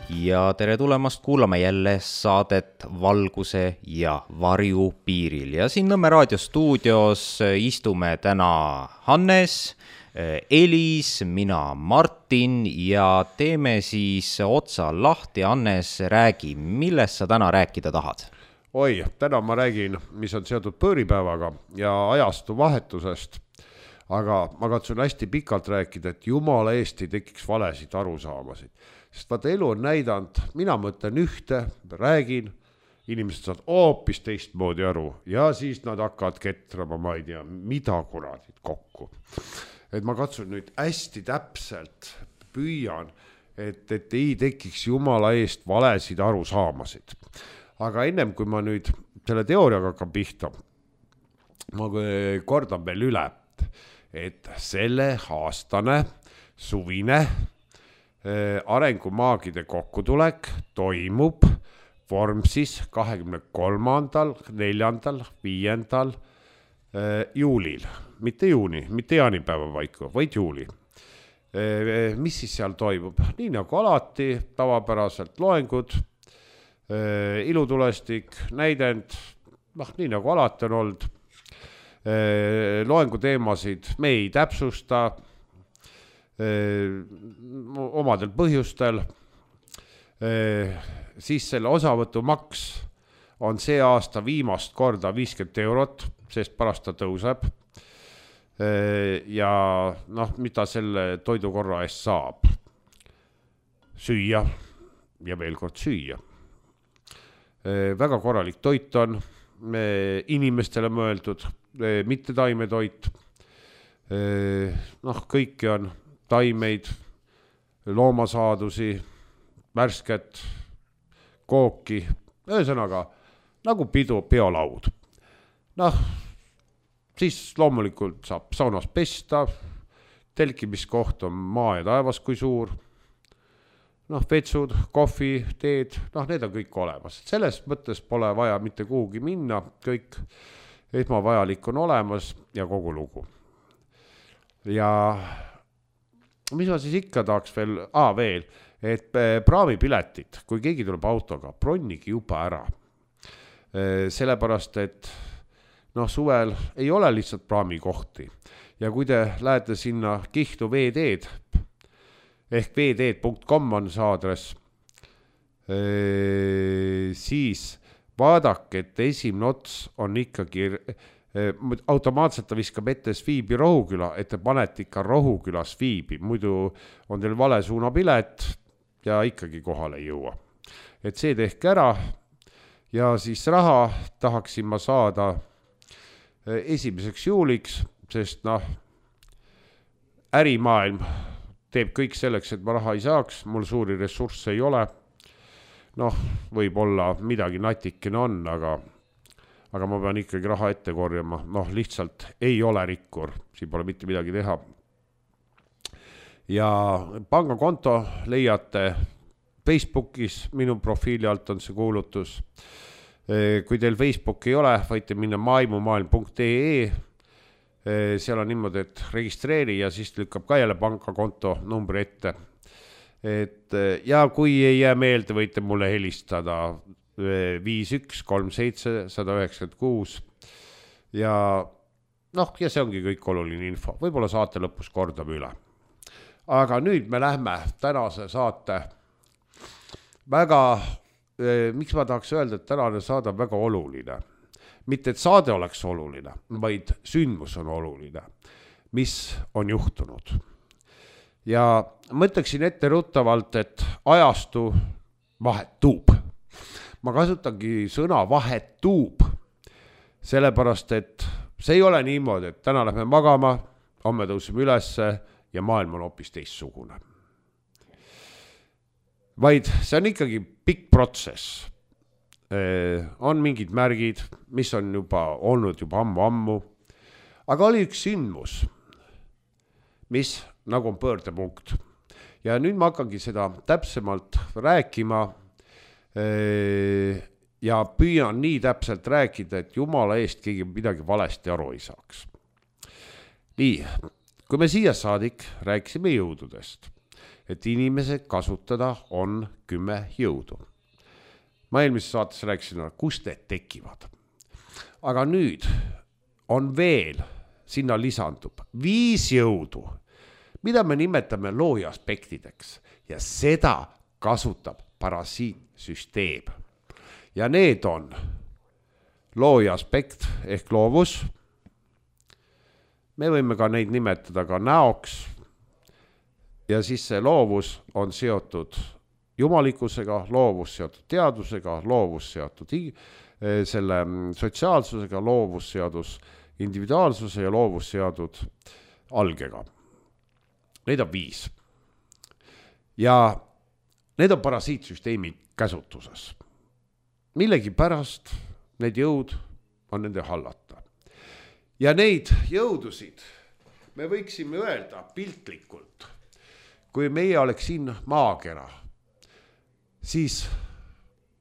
ja tere tulemast kuulama jälle saadet Valguse ja varju piiril. Ja siin Nõmme raadiostuudios istume täna Hannes, Elis, mina Martin ja teeme siis otsa lahti. Hannes, räägi, millest sa täna rääkida tahad? Oi, täna ma räägin, mis on seotud pööripäevaga ja ajastu vahetusest. Aga ma katsun hästi pikalt rääkida, et jumala eest ei tekiks valesid arusaamasid. Sest vaata, elu on näidanud, mina mõtlen ühte, räägin, inimesed saavad hoopis teistmoodi aru ja siis nad hakkavad ketrama, ma ei tea, mida kuradid kokku. Et ma katsun nüüd hästi täpselt püüan, et ei tekiks jumala eest valesid arusaamasid. Aga ennem kui ma nüüd selle teooriaga hakkan pihta, ma kordan veel üle, et selle aastane suvine arengumaagide kokkutulek toimub Vormsis 23., 4., 5. juulil. Mitte juuni, mitte jaanipäeva vaiku, vaid juuli. Mis siis seal toimub? Nii nagu alati, tavapäraselt loengud, ilutulestik, näidend, nii nagu alati on olnud. Loengu teemasid me ei täpsusta omadel põhjustel. Siis selle osavõtu maks on see aasta viimast korda 50 €, sest pärast ta tõuseb. Ja mida selle toidukorra eest saab? Süüa ja veel kord süüa. Väga korralik toit on inimestele mõeldud, mitte taimetoit. Kõiki on taimeid, loomasaadusi, värsket, kooki, ühesõnaga nagu peolaud. Siis loomulikult saab saunas pesta, telkimiskoht on maa ja taevas kui suur. Vetsud, kohvi, teed, need on kõik olemas. Selles mõttes pole vaja mitte kuhugi minna, kõik esmavajalik on olemas ja kogu lugu. Ja mis ma siis ikka tahaks veel, et praamipiletit, kui keegi tuleb autoga, bronnigi juba ära. Sellepärast, et suvel ei ole lihtsalt praamikohti. Ja kui te lähete sinna Kihnu veeteed, ehk veeteed.com on see aadress, siis vaadake, et esimene ots on ikkagi, automaatselt ta viskab ette Sviibi Rohuküla, et te panete ikka Rohuküla Sviibi, muidu on teil vale suunapilet ja ikkagi kohale ei jõua. Et see tehke ära ja siis raha tahaksin ma saada 1. juuliks, sest ärimaailm teeb kõik selleks, et ma raha ei saaks, mul suuri ressursse ei ole. Võib-olla midagi natikene on, aga ma pean ikkagi raha ette korjama. Lihtsalt ei ole rikkur, siin pole mitte midagi teha. Ja pangakonto leiate Facebookis, minu profiili alt on see kuulutus. Kui teil Facebook ei ole, võite minna maimumaailm.ee. Seal on niimoodi, et registreeri ja siis lükkab ka jälle pangakonto numbri ette. Ja kui ei jää meelde, võite mulle helistada 5137-196 ja see ongi kõik oluline info. Võib-olla saate lõpus kordame üle. Aga nüüd me lähme tänase saate miks ma tahaks öelda, et tänane saade on väga oluline. Mitte, et saade oleks oluline, vaid sündmus on oluline, mis on juhtunud. Ja mõtleksin ette ruttavalt, et ajastu vahetub. Ma kasutangi sõna vahetub, sellepärast, et see ei ole niimoodi, et täna lähme magama, homme tõusime ülesse ja maailm on hoopis teistsugune. Vaid see on ikkagi pikk protsess. On mingid märgid, mis on olnud juba ammu. Aga oli üks sündmus, mis nagu on pöördepunkt. Ja nüüd ma hakkangi seda täpsemalt rääkima ja püüan nii täpselt rääkida, et jumala eest keegi midagi valesti aru ei saaks. Nii, kui me siia saadik rääkisime jõududest, et inimese kasutada on 10 jõudu. Ma eelmises saates rääkisin, kust need tekivad. Aga nüüd on veel, sinna lisandub 5 jõudu, mida me nimetame looja aspektideks ja seda kasutab parasiitsüsteem. Ja need on looja aspekt ehk loovus. Me võime ka neid nimetada ka näoks. Ja siis see loovus on seotud jumalikkusega, loovus seotud teadusega, loovus seotud selle sotsiaalsusega, loovus seotud individuaalsuse ja loovus seotud algega. Neid on 5. Ja need on parasiitsüsteemi käsutuses. Millegi pärast need jõud on nende hallata. Ja neid jõudusid me võiksime öelda piltlikult, kui meie oleks siin maakera, siis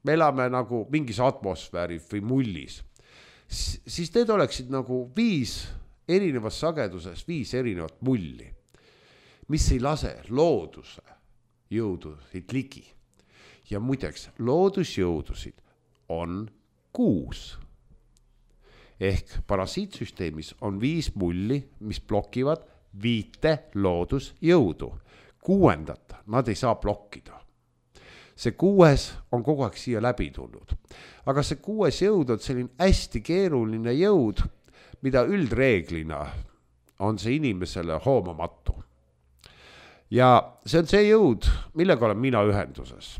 me elame nagu mingis atmosfääris või mullis, siis need oleksid nagu 5 erinevas sageduses, 5 erinevat mulli, mis ei lase looduse jõudusid ligi. Ja muideks, loodusjõudusid on 6. Ehk parasiitsüsteemis on 5 mulli, mis blokivad 5 loodusjõudu. 6. nad ei saa blokkida. See 6 on kogu aeg siia läbi tulnud. Aga see 6 jõud on selline hästi keeruline jõud, mida üldreeglina on see inimesele hoomamatu. Ja see on see jõud, millega olen mina ühenduses.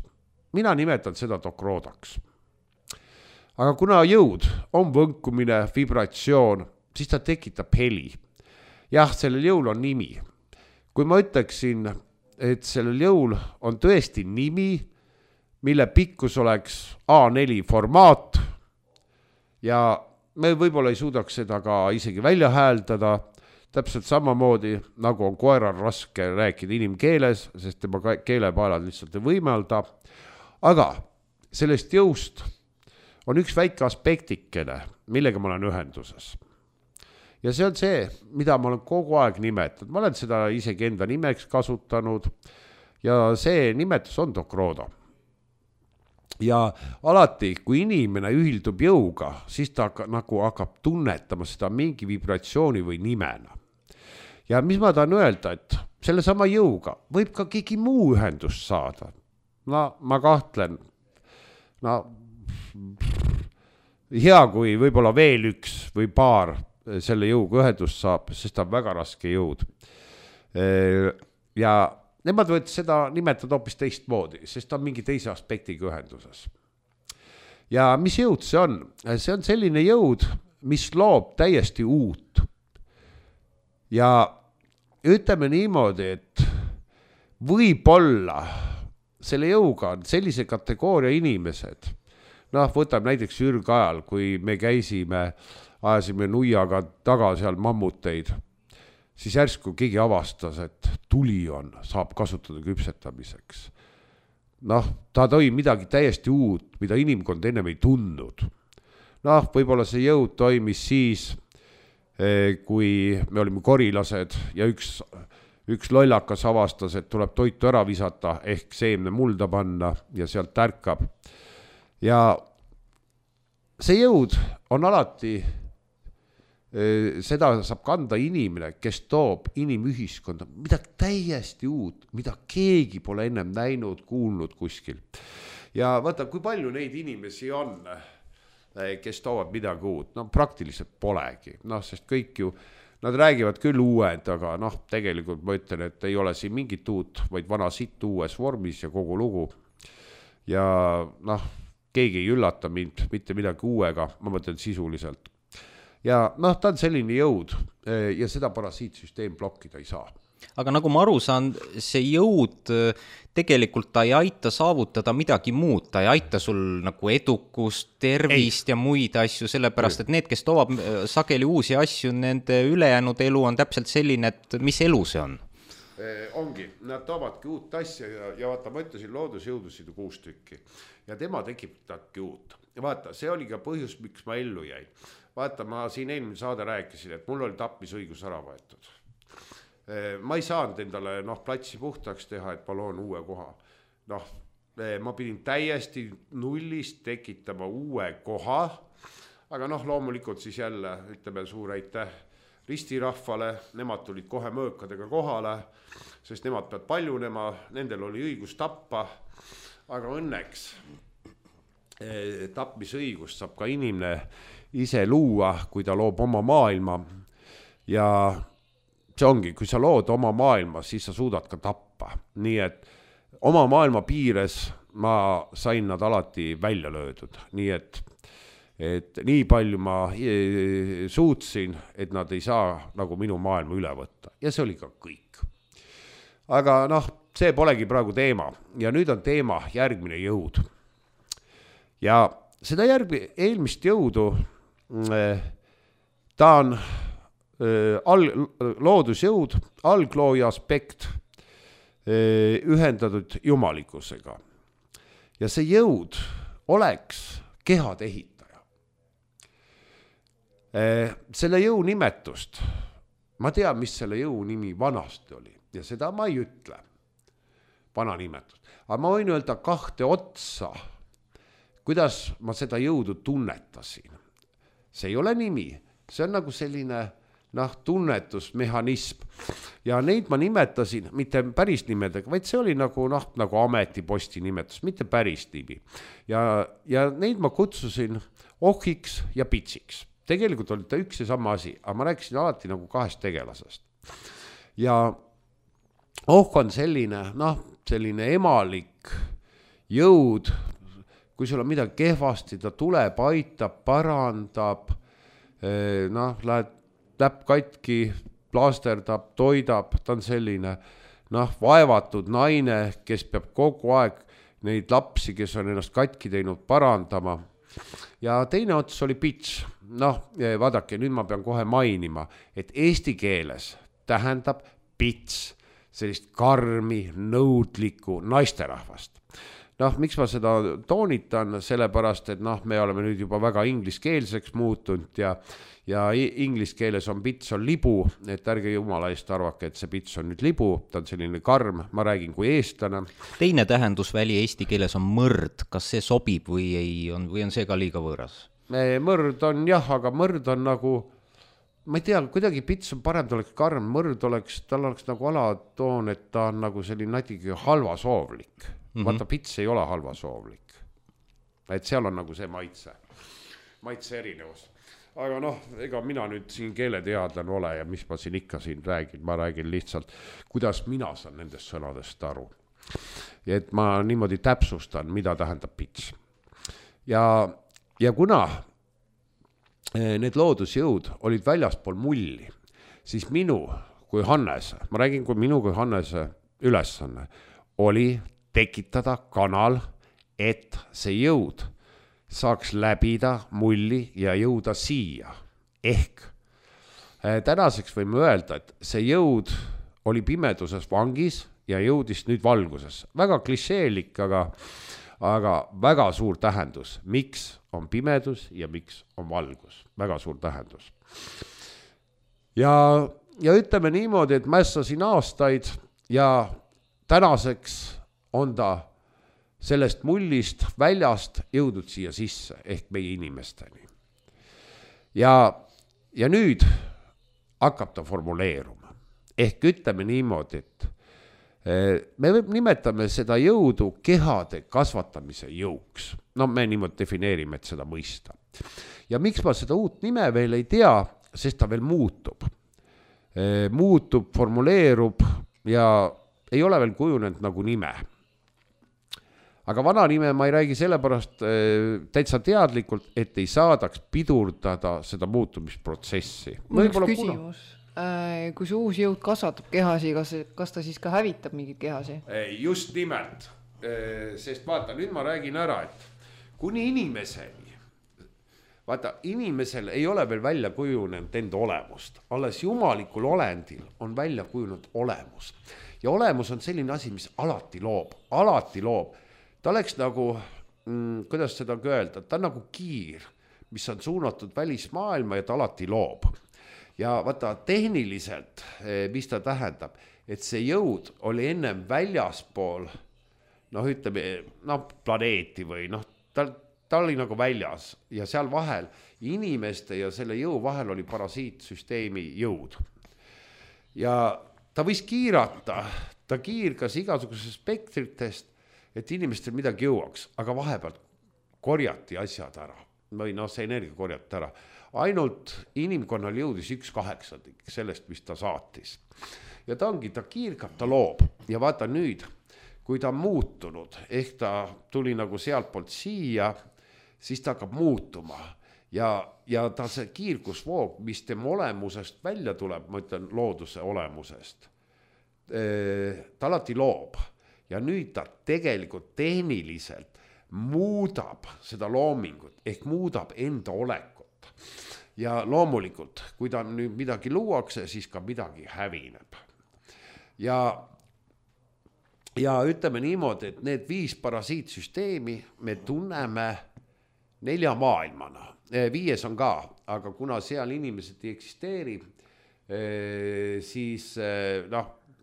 Mina nimetan seda dokroodaks. Aga kuna jõud on võnkumine, vibratsioon, siis ta tekitab heli. Jah, sellel jõul on nimi. Kui ma ütleksin, et sellel jõul on tõesti nimi, mille pikkus oleks A4 formaat ja me võib-olla ei suudaks seda ka isegi välja hääldada, täpselt samamoodi, nagu on koeral raske rääkida inimkeeles, sest tema keelepaelad lihtsalt ei võimalda. Aga sellest jõust on üks väike aspektikene, millega ma olen ühenduses. Ja see on see, mida ma olen kogu aeg nimetanud. Ma olen seda isegi enda nimeks kasutanud ja see nimetus on dokrooda. Ja alati, kui inimene ühildub jõuga, siis ta nagu hakkab tunnetama seda mingi vibratsiooni või nimena. Ja mis ma tahan öelda, et selle sama jõuga võib ka keegi muu ühendust saada. No ma kahtlen, hea kui võib-olla veel üks või paar selle jõuga ühendust saab, sest ta on väga raske jõud. Ja nemad võid seda nimetada hoopis teistmoodi, sest ta on mingi teise aspektiga ühenduses. Ja mis jõud see on? See on selline jõud, mis loob täiesti uut. Ja ütleme niimoodi, et võib-olla selle jõuga on sellise kategooria inimesed. Võtame näiteks ürgajal, kui me käisime, ajasime nuiaga taga seal mammuteid, siis järsku keegi avastas, et tuli on, saab kasutada küpsetamiseks. Ta tõi midagi täiesti uut, mida inimkond ennem ei tundnud. Võib-olla see jõud toimis siis, kui me olime korilased ja üks lollakas avastas, et tuleb toitu ära visata ehk seemne mulda panna ja sealt tärkab. Ja see jõud on alati, seda saab kanda inimene, kes toob inimühiskonda midagi täiesti uut, mida keegi pole ennem näinud, kuulnud kuskil. Ja vaata, kui palju neid inimesi on, kes toovad midagi uut, praktiliselt polegi, sest kõik ju, nad räägivad küll uued, aga tegelikult ma ütlen, et ei ole siin mingit uut, vaid vana sitt uues vormis ja kogu lugu. Ja keegi ei üllata mind mitte midagi uuega, ma mõtlen sisuliselt. Ja ta on selline jõud ja seda parasiitsüsteem blokkida ei saa. Aga nagu ma aru saan, see jõud tegelikult ta ei aita saavutada midagi muud, ta ei aita sul nagu edukust, tervist ja muid asju, sellepärast, et need, kes toovad sageli uusi asju, nende ülejäänud elu on täpselt selline, et mis elu see on? Ongi, nad toovadki uut asja ja vaata, ma ütlesin loodusjõudusid 6 tükki ja tema tekitabki uut. Ja vaata, see oli ka põhjus, miks ma ellu jäin. Vaata, ma siin eelmine saade rääkisin, et mul oli tapmisõigus ära võetud. ma ei saanud endale platsi puhtaks teha, et ma loon uue koha. Ma pidin täiesti nullist tekitama uue koha, aga loomulikult siis jälle ütleme suur aitäh ristirahvale, nemad tulid kohe mõõkadega kohale, sest nemad peavad paljunema, nendel oli õigus tappa, aga õnneks tapmisõigust saab ka inimene ise luua, kui ta loob oma maailma ja see ongi, kui sa lood oma maailma, siis sa suudad ka tappa, nii et oma maailma piires ma sain nad alati välja löödud, nii et nii palju ma suutsin, et nad ei saa nagu minu maailma üle võtta ja see oli ka kõik. Aga see polegi praegu teema ja nüüd on teema järgmine jõud. Ja seda eelmist jõudu, ta on loodusjõud, alglooja aspekt ühendatud jumalikkusega. Ja see jõud oleks kehade ehitaja. Selle jõu nimetust, ma tean, mis selle jõu nimi vanasti oli ja seda ma ei ütle, vana nimetust. Aga ma võin öelda kahte otsa, kuidas ma seda jõudu tunnetasin. See ei ole nimi, see on nagu selline tunnetusmehhanism ja neid ma nimetasin mitte päris nimedega, vaid see oli nagu ametiposti nimetus, mitte päris nimi. Ja neid ma kutsusin ohiks ja pitsiks. Tegelikult oli ta üks ja sama asi, aga ma rääkisin alati nagu kahest tegelasest. Ja on selline emalik jõud, kui sul on midagi kehvasti, ta tuleb, aitab, parandab, lähed täpp katki, plaasterdab, toidab, ta on selline vaevatud naine, kes peab kogu aeg neid lapsi, kes on ennast katki teinud, parandama. Ja teine ots oli pits. Vaadake, nüüd ma pean kohe mainima, et eesti keeles tähendab pits sellist karmi, nõudlikku naisterahvast. Miks ma seda toonitan, sellepärast, et me oleme nüüd juba väga ingliskeelseks muutunud ja inglis keeles on pits on libu, et ärge jumala eest arvake, et see pits on nüüd libu, ta on selline karm, ma räägin kui eestlane. Teine tähendusväli eesti keeles on mõrd, kas see sobib või on see ka liiga võõras? Mõrd on jah, aga mõrd on nagu, ma ei tea, kuidagi pits on parem, ta oleks karm, mõrd tal oleks nagu alatoon, et ta on nagu selline natuke halvasoovlik. Vaata, pits ei ole halvasoovlik. Et seal on nagu see maitse erinevus. Aga ega mina nüüd siin keeleteadlane ole ja mis ma siin ikka siin räägin, ma räägin lihtsalt, kuidas mina saan nendest sõnadest aru. Ja et ma niimoodi täpsustan, mida tähendab pits. Ja kuna need loodusjõud olid väljaspool mulli, siis minu kui Hannese, ma räägin kui minu kui Hannese ülesanne, oli tekitada kanal, et see jõud saaks läbida mulli ja jõuda siia. Ehk tänaseks võime öelda, et see jõud oli pimeduses vangis ja jõudis nüüd valguses. Väga klišeelik, aga väga suur tähendus. Miks on pimedus ja miks on valgus? Väga suur tähendus. Ja ütleme niimoodi, et mässasin aastaid ja tänaseks on ta sellest mullist väljast jõudnud siia sisse ehk meie inimesteni. Ja nüüd hakkab ta formuleeruma. Ehk ütleme niimoodi, et me nimetame seda jõudu kehade kasvatamise jõuks. Me niimoodi defineerime, et seda mõista. Ja miks ma seda uut nime veel ei tea, sest ta veel muutub. Muutub, formuleerub ja ei ole veel kujunenud nagu nime. Aga vana nime ma ei räägi sellepärast täitsa teadlikult, et ei saadaks pidurdada seda muutumisprotsessi. Mul üks küsimus. Kui see uus jõud kasvatab kehasi, kas ta siis ka hävitab mingid kehasi? Just nimelt. Sest vaata, nüüd ma räägin ära, et kuni inimeseni, vaata, inimesel ei ole veel välja kujunenud enda olemust. Alles jumalikul olendil on välja kujunenud olemus. Ja olemus on selline asi, mis alati loob. Ta oleks nagu, kuidas seda öelda, ta on nagu kiir, mis on suunatud välismaailma ja ta alati loob. ja vaata tehniliselt, mis ta tähendab, et see jõud oli ennem väljaspool, ütleme, planeeti või ta oli nagu väljas ja seal vahel inimeste ja selle jõu vahel oli parasiitsüsteemi jõud. Ja ta võis kiirata, ta kiirgas igasugusest spektritest, et inimestel midagi jõuaks, aga vahepeal korjati asjad ära või see energia korjati ära. Ainult inimkonnal jõudis 1/8 sellest, mis ta saatis. Ja ta kiirgab, ta loob ja vaata nüüd, kui ta on muutunud, ehk ta tuli nagu sealtpoolt siia, siis ta hakkab muutuma ja ta see kiirgusvoog, mis tema olemusest välja tuleb, ma ütlen looduse olemusest, ta alati loob ja nüüd ta tegelikult tehniliselt muudab seda loomingut ehk muudab enda olekut ja loomulikult, kui ta nüüd midagi luuakse, siis ka midagi hävineb ja ütleme niimoodi, et need 5 parasiitsüsteemi me tunneme 4 maailmana, 5 on ka, aga kuna seal inimesed ei eksisteeri, siis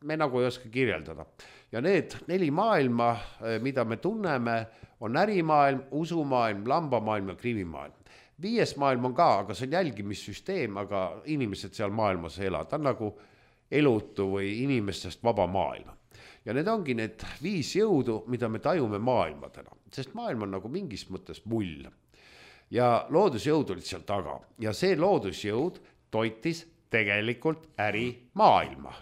me nagu ei oska kirjeldada. Ja need 4 maailma, mida me tunneme, on ärimaailm, usumaailm, lambamaailm ja krivimaailm. 5 maailm on ka, aga see on jälgimissüsteem, aga inimesed seal maailmas ei ela. Ta on nagu elutu või inimestest vaba maailm. Ja need ongi need 5 jõudu, mida me tajume maailmadena, sest maailm on nagu mingis mõttes mull. Ja loodusjõud olid seal taga ja see loodusjõud toitis tegelikult ärimaailma.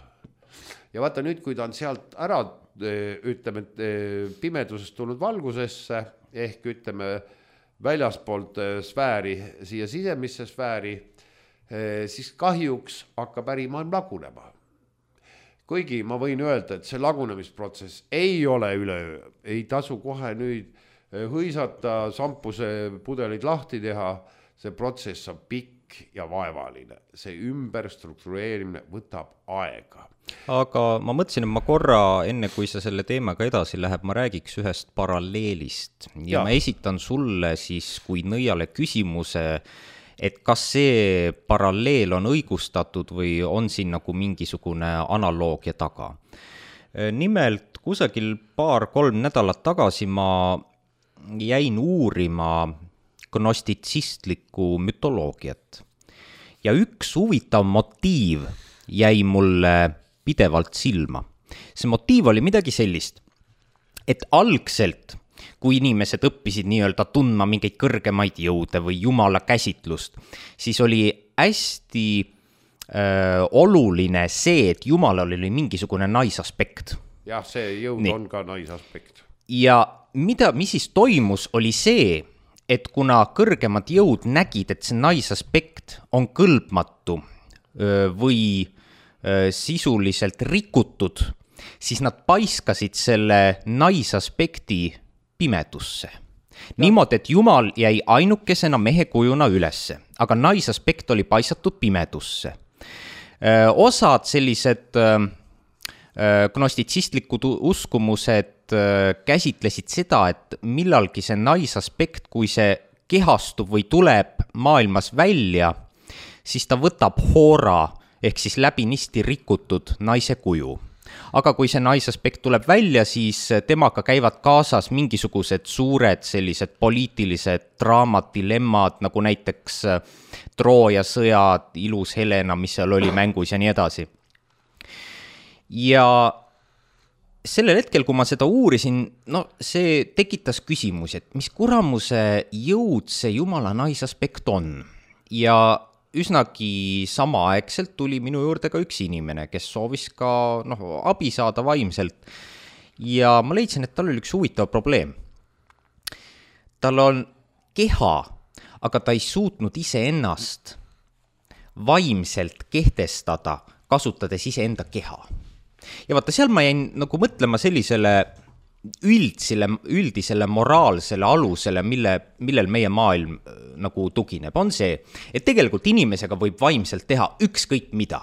Ja vaata nüüd, kui ta on sealt ära, ütleme, pimedusest tulnud valgusesse, ehk ütleme väljaspoolt sfääri, siia sisemisse sfääri, siis kahjuks hakkab ärimaailm lagunema. Kuigi ma võin öelda, et see lagunemisprotsess ei ole üleöö, ei tasu kohe nüüd hõisata, sampuse pudelid lahti teha, see protsess on pikk ja vaevaline. See ümberstruktureerimine võtab aega. Aga ma mõtlesin, et ma korra, enne kui sa selle teemaga edasi läheb, ma räägiks ühest paralleelist ja ma esitan sulle siis kui nõiale küsimuse, et kas see paralleel on õigustatud või on siin nagu mingisugune analoogia taga. Nimelt kusagil 2-3 nädalat tagasi ma jäin uurima gnostitsistlikku mütoloogiat ja üks huvitav motiiv jäi mulle pidevalt silma. See motiiv oli midagi sellist, et algselt, kui inimesed õppisid nii-öelda tundma mingeid kõrgemaid jõude või jumala käsitlust, siis oli hästi oluline see, et jumalal oli mingisugune naisaspekt. Jah, see jõud on ka naisaspekt. Ja mis siis toimus, oli see, et kuna kõrgemad jõud nägid, et see naisaspekt on kõlbmatu või sisuliselt rikutud, siis nad paiskasid selle naisaspekti pimedusse. Niimoodi, et Jumal jäi ainukesena mehe kujuna ülesse, aga naisaspekt oli paisatud pimedusse. Osad sellised gnostitsistlikud uskumused käsitlesid seda, et millalgi see naisaspekt, kui see kehastub või tuleb maailmas välja, siis ta võtab hoora ehk siis läbinisti rikutud naise kuju. Aga kui see naisaspekt tuleb välja, siis temaga käivad kaasas mingisugused suured sellised poliitilised draamad, dilemmad, nagu näiteks Trooja sõjad, ilus Helena, mis seal oli mängus ja nii edasi. Ja sellel hetkel, kui ma seda uurisin, see tekitas küsimusi, et mis kuramuse jõud see jumala naisaspekt on. Ja üsnagi samaaegselt tuli minu juurde ka üks inimene, kes soovis ka abi saada vaimselt. Ja ma leidsin, et tal oli üks huvitav probleem. Tal on keha, aga ta ei suutnud iseennast vaimselt kehtestada, kasutades iseenda keha. Ja vaata, seal ma jäin nagu mõtlema sellisele üldisele moraalsele alusele, millel meie maailm nagu tugineb, on see, et tegelikult inimesega võib vaimselt teha ükskõik mida.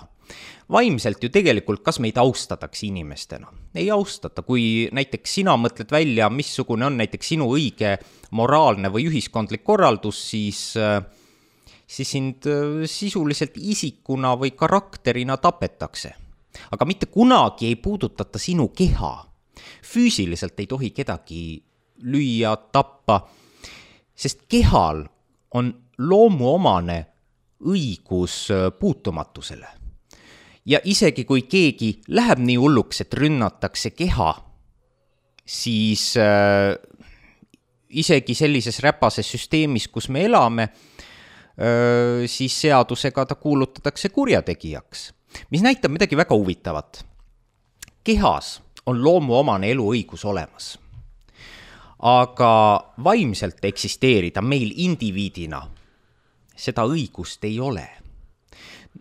Vaimselt ju tegelikult, kas meid austatakse inimestena? Ei austata, kui näiteks sina mõtled välja, missugune on näiteks sinu õige moraalne või ühiskondlik korraldus, siis sind sisuliselt isikuna või karakterina tapetakse. Aga mitte kunagi ei puudutata sinu keha. Füüsiliselt ei tohi kedagi lüüa, tappa, sest kehal on loomuomane õigus puutumatusele. Ja isegi kui keegi läheb nii hulluks, et rünnatakse keha, siis isegi sellises räpases süsteemis, kus me elame, siis seadusega ta kuulutatakse kurjategijaks, mis näitab midagi väga huvitavat. Kehas on loomuomane eluõigus olemas, aga vaimselt eksisteerida meil indiviidina seda õigust ei ole.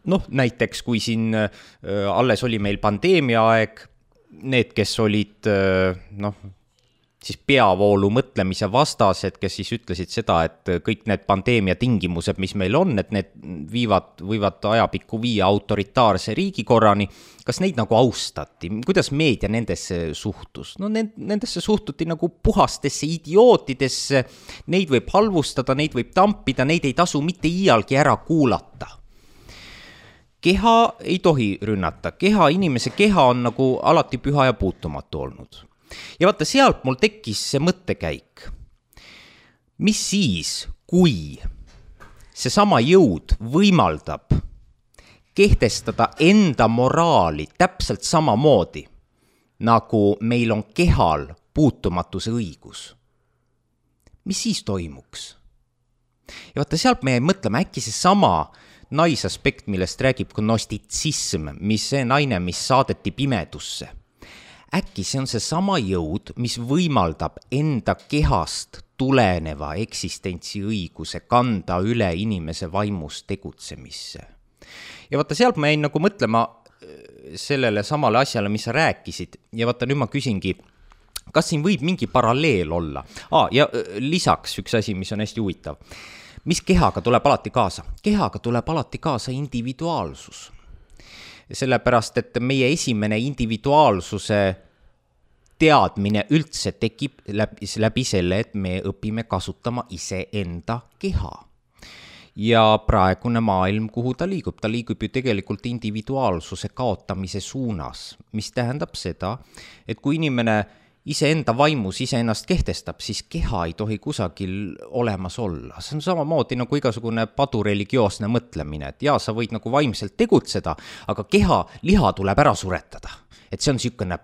Noh, näiteks kui siin alles oli meil pandeemia aeg, need, kes olid siis peavoolu mõtlemise vastased, kes siis ütlesid seda, et kõik need pandeemia tingimused, mis meil on, et need võivad ajapikku viia autoritaarse riigikorrani, kas neid nagu austati? Kuidas meedia nendesse suhtus? No nendesse suhtuti nagu puhastesse idiootidesse, neid võib halvustada, neid võib tampida, neid ei tasu mitte iialgi ära kuulata. Keha ei tohi rünnata, inimese keha on nagu alati püha ja puutumatu olnud. Ja vaata, sealt mul tekkis see mõttekäik. Mis siis, kui see sama jõud võimaldab kehtestada enda moraali täpselt samamoodi, nagu meil on kehal puutumatuse õigus? Mis siis toimuks? Ja vaata, sealt me mõtleme, äkki see sama naisaspekt, millest räägib gnostitsism, mis see naine, mis saadeti pimedusse. Äkki see on see sama jõud, mis võimaldab enda kehast tuleneva eksistentsiõiguse kanda üle inimese vaimus tegutsemisse. Ja vaata, sealt ma jäin nagu mõtlema sellele samale asjale, mis sa rääkisid. Ja vaata, nüüd ma küsingi, kas siin võib mingi paralleel olla? Ja lisaks üks asi, mis on hästi huvitav. Mis kehaga tuleb alati kaasa? Kehaga tuleb alati kaasa individuaalsus. Sellepärast, et meie esimene individuaalsuse teadmine üldse tekib läbi selle, et me õpime kasutama iseenda keha. Ja praegune maailm, kuhu ta liigub ju tegelikult individuaalsuse kaotamise suunas, mis tähendab seda, et kui inimene iseenda vaimus iseennast kehtestab, siis keha ei tohi kusagil olemas olla. See on samamoodi nagu igasugune padureligioosne mõtlemine, et sa võid nagu vaimselt tegutseda, aga keha, liha tuleb ära suretada. Et see on niisugune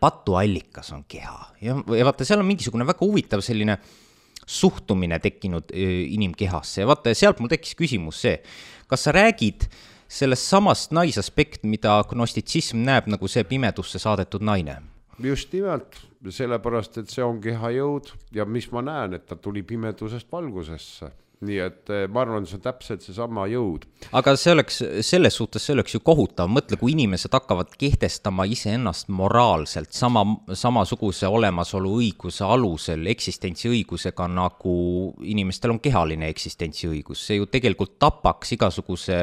patuallikas on keha. Ja vaata, seal on mingisugune väga huvitav selline suhtumine tekkinud inimkehasse. Ja vaata, sealt mul tekkis küsimus see, kas sa räägid sellest samast naisaspekt, mida gnostitsism näeb nagu see pimedusse saadetud naine? Just nimelt, sellepärast, et see on kehajõud ja mis ma näen, et ta tuli pimedusest valgusesse. Nii et ma arvan, see on täpselt see sama jõud. Aga selles suhtes see oleks ju kohutav. Mõtle, kui inimesed hakkavad kehtestama iseennast moraalselt samasuguse olemasolu õiguse alusel, eksistentsiõigusega, nagu inimestel on kehaline eksistentsiõigus. See ju tegelikult tapaks igasuguse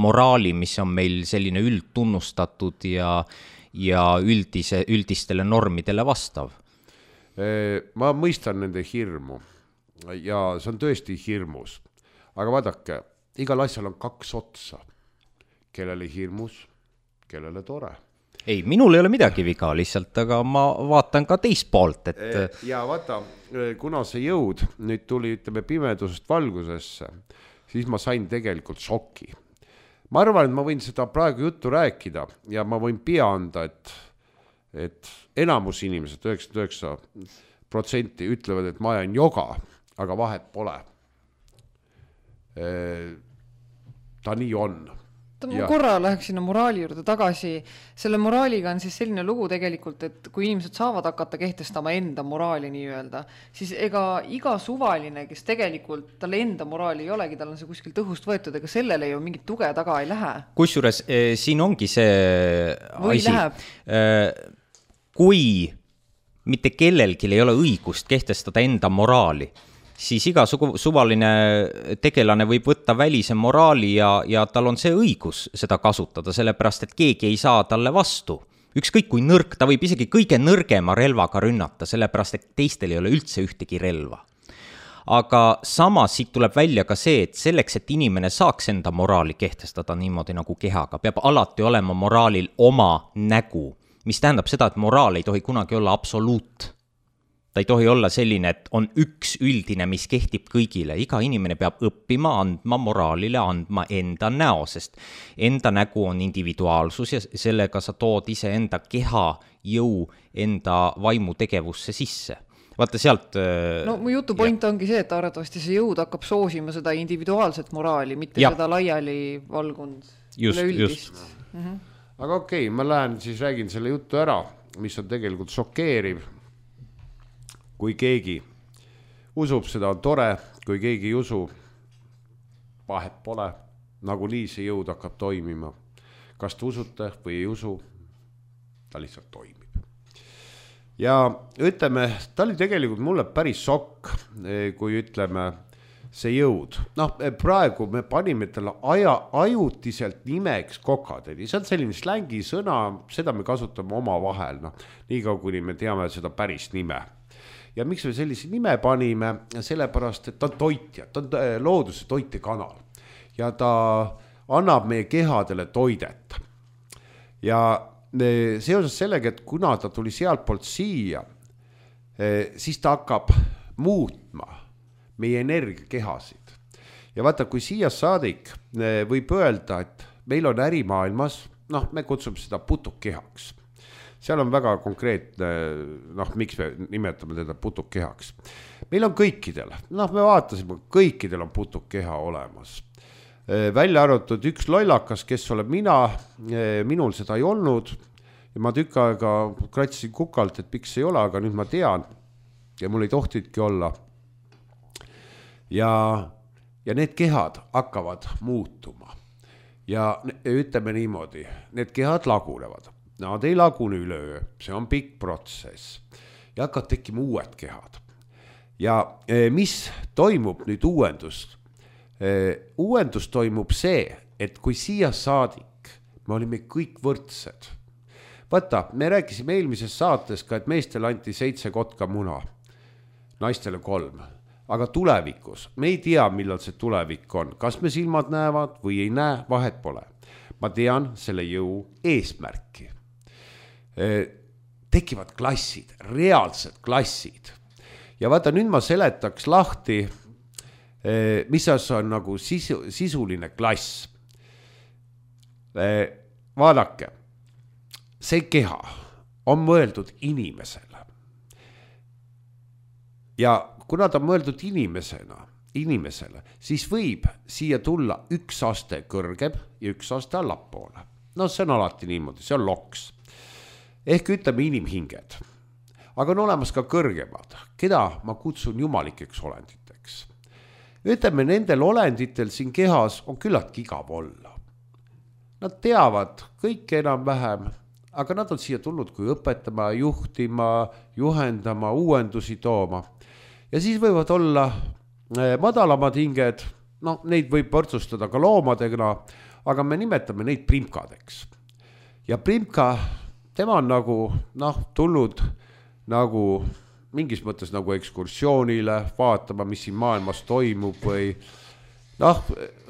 moraali, mis on meil selline üldtunnustatud ja üldistele normidele vastav. Ma mõistan nende hirmu ja see on tõesti hirmus. Aga vaadake, igal asjal on kaks otsa. Kellele hirmus, kellele tore. Ei, minul ei ole midagi viga lihtsalt, aga ma vaatan ka teist poolt. Ja vaata, kuna see jõud nüüd tuli pimedusest valgusesse, siis ma sain tegelikult šoki. Ma arvan, et ma võin seda praegu juttu rääkida ja ma võin pea anda, et enamus inimesed, 99% ütlevad, et ma ajan joga, aga vahet pole. Ta nii on. Ma korra läheks sinna moraali juurde tagasi. Selle moraaliga on siis selline lugu tegelikult, et kui inimesed saavad hakata kehtestama enda moraali nii-öelda, siis ega iga suvaline, kes tegelikult talle enda moraali ei olegi, tal on see kuskil tõhust võetud, ega sellele ju mingit tuge taga ei lähe. Kusjuures siin ongi see asi. Kui mitte kellelgi ei ole õigust kehtestada enda moraali, siis iga suvaline tegelane võib võtta välise moraali ja tal on see õigus seda kasutada, sellepärast et keegi ei saa talle vastu. Ükskõik kui nõrk, ta võib isegi kõige nõrgema relvaga rünnata, sellepärast et teistel ei ole üldse ühtegi relva. aga samas siit tuleb välja ka see, et selleks, et inimene saaks enda moraali kehtestada niimoodi nagu kehaga, peab alati olema moraalil oma nägu, mis tähendab seda, et moraal ei tohi kunagi olla absoluut. Ta ei tohi olla selline, et on üks üldine, mis kehtib kõigile. Iga inimene peab õppima, andma moraalile, andma enda näo, sest enda nägu on individuaalsus ja sellega sa tood ise enda keha jõu enda vaimu tegevusse sisse. Vaata sealt... No mu jutu point ongi see, et arvatavasti see jõud hakkab soosima seda individuaalset moraali, mitte seda laiali valgund üleüldist. Aga okei, ma lähen siis räägin selle jutu ära, mis on tegelikult šokeeriv. Kui keegi usub, seda on tore, kui keegi ei usu, vahet pole, nagu nii see jõud hakkab toimima. Kas te usute või ei usu, ta lihtsalt toimib. Ja ütleme, ta oli tegelikult mulle päris šokk, kui ütleme see jõud. Noh, praegu me panime talle ajutiselt nimeks kokadeli. See on selline slängi sõna, seda me kasutame oma vahel, nii kaua kuni me teame seda päris nime. Ja miks me sellise nime panime? Sellepärast, et ta on toitja, ta on looduse toitekanal ja ta annab meie kehadele toidet. Ja seoses sellega, et kuna ta tuli sealt poolt siia, siis ta hakkab muutma meie energiakehasid. Ja vaata, kui siia saadik võib öelda, et meil on ärimaailmas, me kutsume seda putukehaks. Seal on väga konkreetne, miks me nimetame teda putukehaks. Meil on kõikidel, me vaatasime, kõikidel on putukeha olemas. Välja arvatud üks lollakas, kes olen mina, minul seda ei olnud. Ja ma tükk aega kratsisin kukalt, et miks ei ole, aga nüüd ma tean. Ja mul ei tohtidki olla. Ja need kehad hakkavad muutuma. Ja ütleme niimoodi, need kehad lagunevad. Nad ei lagune üleöö, see on pikk protsess ja hakkavad tekkima uued kehad. Ja mis toimub nüüd uuendus? Uuendus toimub see, et kui siia saadik, me olime kõik võrdsed. Vaata, me rääkisime eelmises saates ka, et meestele anti 7 kotka muna, naistele 3. Aga tulevikus, me ei tea, millal see tulevik on. Kas me silmad näevad või ei näe, vahet pole. Ma tean selle jõu eesmärki. Tekivad klassid, reaalsed klassid. Ja vaata, nüüd ma seletaks lahti, mis on nagu sisuline klass. Vaadake, see keha on mõeldud inimesele. Ja kuna ta on mõeldud inimesele, siis võib siia tulla üks aste kõrgem ja üks aste allapoole. See on alati niimoodi, see on loks. Ehk ütleme inimhinged. Aga on olemas ka kõrgemad, keda ma kutsun jumalikeks olenditeks. Ütleme, nendel olenditel siin kehas on küllaltki igav olla. Nad teavad kõike enam vähem, aga nad on siia tulnud kui õpetama, juhtima, juhendama, uuendusi tooma. Ja siis võivad olla madalamad hinged, neid võib võrdsustada ka loomadega, aga me nimetame neid primkadeks. Ja primka, tema on nagu, tulnud nagu mingis mõttes nagu ekskursioonile, vaatama, mis siin maailmas toimub või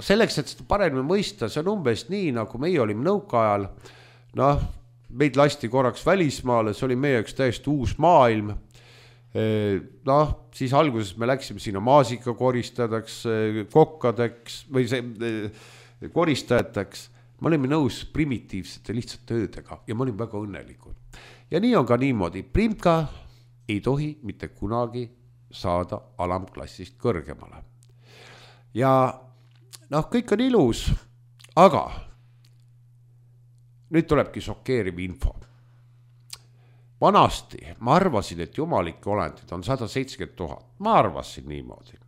selleks, et seda paremini mõista, see on umbes nii, nagu meie olime nõukaajal, meid lasti korraks välismaale, see oli meie üks täiesti uus maailm. Siis alguses me läksime sinna maasika koristajateks, kokkadeks või koristajateks. Me olime nõus primitiivsete lihtsalt töödega ja me olime väga õnnelikud. Ja nii on ka niimoodi. Primka ei tohi mitte kunagi saada alamklassist kõrgemale. Ja kõik on ilus, aga nüüd tulebki šokeeriv info. Vanasti ma arvasin, et jumalike olendid on 170 000. Ma arvasin niimoodi.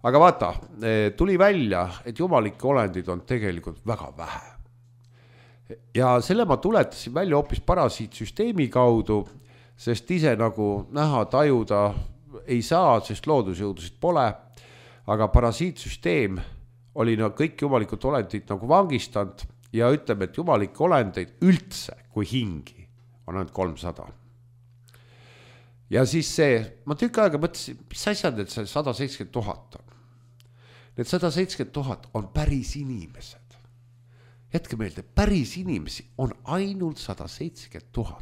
Aga vaata, tuli välja, et jumalike olendid on tegelikult väga vähe. Ja selle ma tuletasin välja hoopis parasiitsüsteemi kaudu, sest ise nagu näha, tajuda ei saa, sest loodusjõudusid pole. Aga parasiitsüsteem oli kõik jumalikud olendid nagu vangistanud ja ütleme, et jumalike olendeid üldse kui hingi on ainult 300. ja siis see, ma tükk aega mõtlesin, mis asjad, et see 170 000 on. Need 170 000 on päris inimesed. Jätke meelde, päris inimesi on ainult 170 000.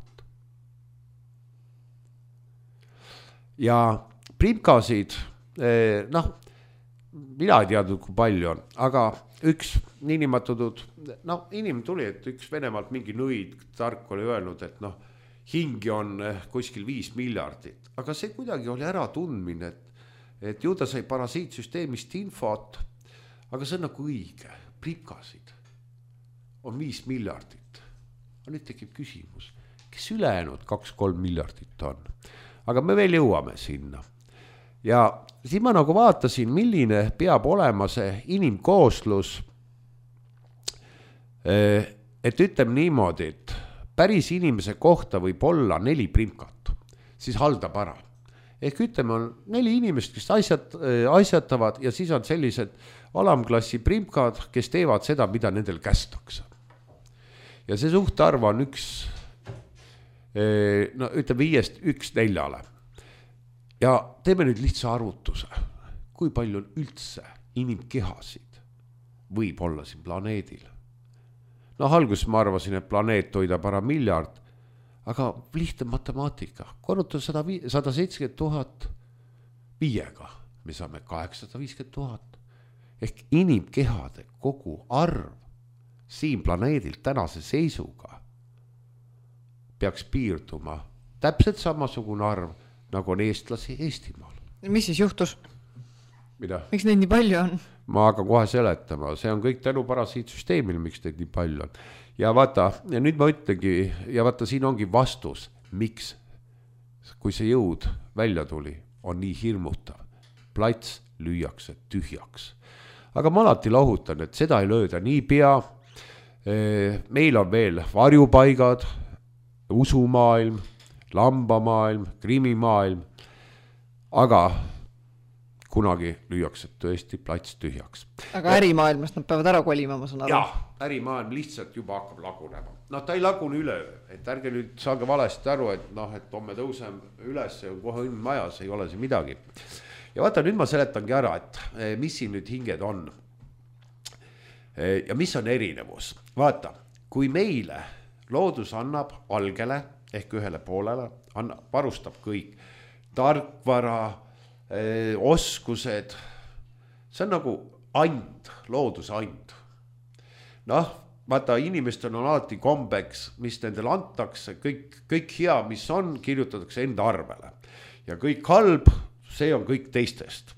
Ja primkasid, noh, mina ei teadnud, kui palju on, aga üks niinimatatud, no inimene tuli, et üks Venemaalt mingi nõid tark oli öelnud, et noh, hingi on kuskil 5 miljardit, aga see kuidagi oli ära tundmine, et ju ta sai parasiitsüsteemist infot, aga see on nagu õige, primkasid on 5 miljardit. Aga nüüd tekib küsimus, kes ülejäänud 2-3 miljardit on? Aga me veel jõuame sinna. Ja siin ma nagu vaatasin, milline peab olema see inimkooslus, et ütleme niimoodi, et päris inimese kohta võib olla 4 primkat, siis haldab ära. Ehk ütleme, on 4 inimest, kes asjatavad ja siis on sellised alamklassi primkad, kes teevad seda, mida nendel kästakse. Ja see suhtarv on no ütleme 5-st 1-4. Ja teeme nüüd lihtsa arvutuse, kui palju on üldse inimkehasid võib olla siin planeedil. No alguses ma arvasin, et planeet toidab ära 1 miljard, aga lihtne matemaatika, korruta 170 000 5-ga, me saame 850 000. Ehk inimkehade kogu arv siin planeedil tänase seisuga peaks piirduma täpselt samasugune arv, nagu on eestlasi Eestimaal. Mis siis juhtus? Mida? Miks neid nii palju on? Ma hakkan kohe seletama, see on kõik tänu parasiitsüsteemil, miks neid nii palju on. Ja vaata, ja nüüd ma ütlengi, ja vaata, siin ongi vastus, miks, kui see jõud välja tuli, on nii hirmutav. Plats lüüakse tühjaks. Aga ma alati lahutan, et seda ei lööda nii pea. Meil on veel varjupaigad, usumaailm, lambamaailm, krimimaailm, aga kunagi lüüakse tõesti plats tühjaks. Aga ärimaailmast nad peavad ära kolima, ma saan aru. Jah, ärimaailm lihtsalt juba hakkab lagunema. No ta ei lagune üle, et ärge nüüd saage valesti aru, et noh, et homme tõusem üles ja kohe õnn majas, ei ole see midagi. Ja vaata, nüüd ma seletangi ära, et mis siin nüüd hinged on. Ja mis on erinevus. Vaata, kui meile loodus annab algele ehk ühele poolele, varustab kõik tarkvara, oskused, see on nagu and, looduse and. Noh, vaata, inimestel on alati kombeks, mis nendel antakse, kõik hea, mis on, kirjutatakse enda arvele. Ja kõik halb, see on kõik teistest.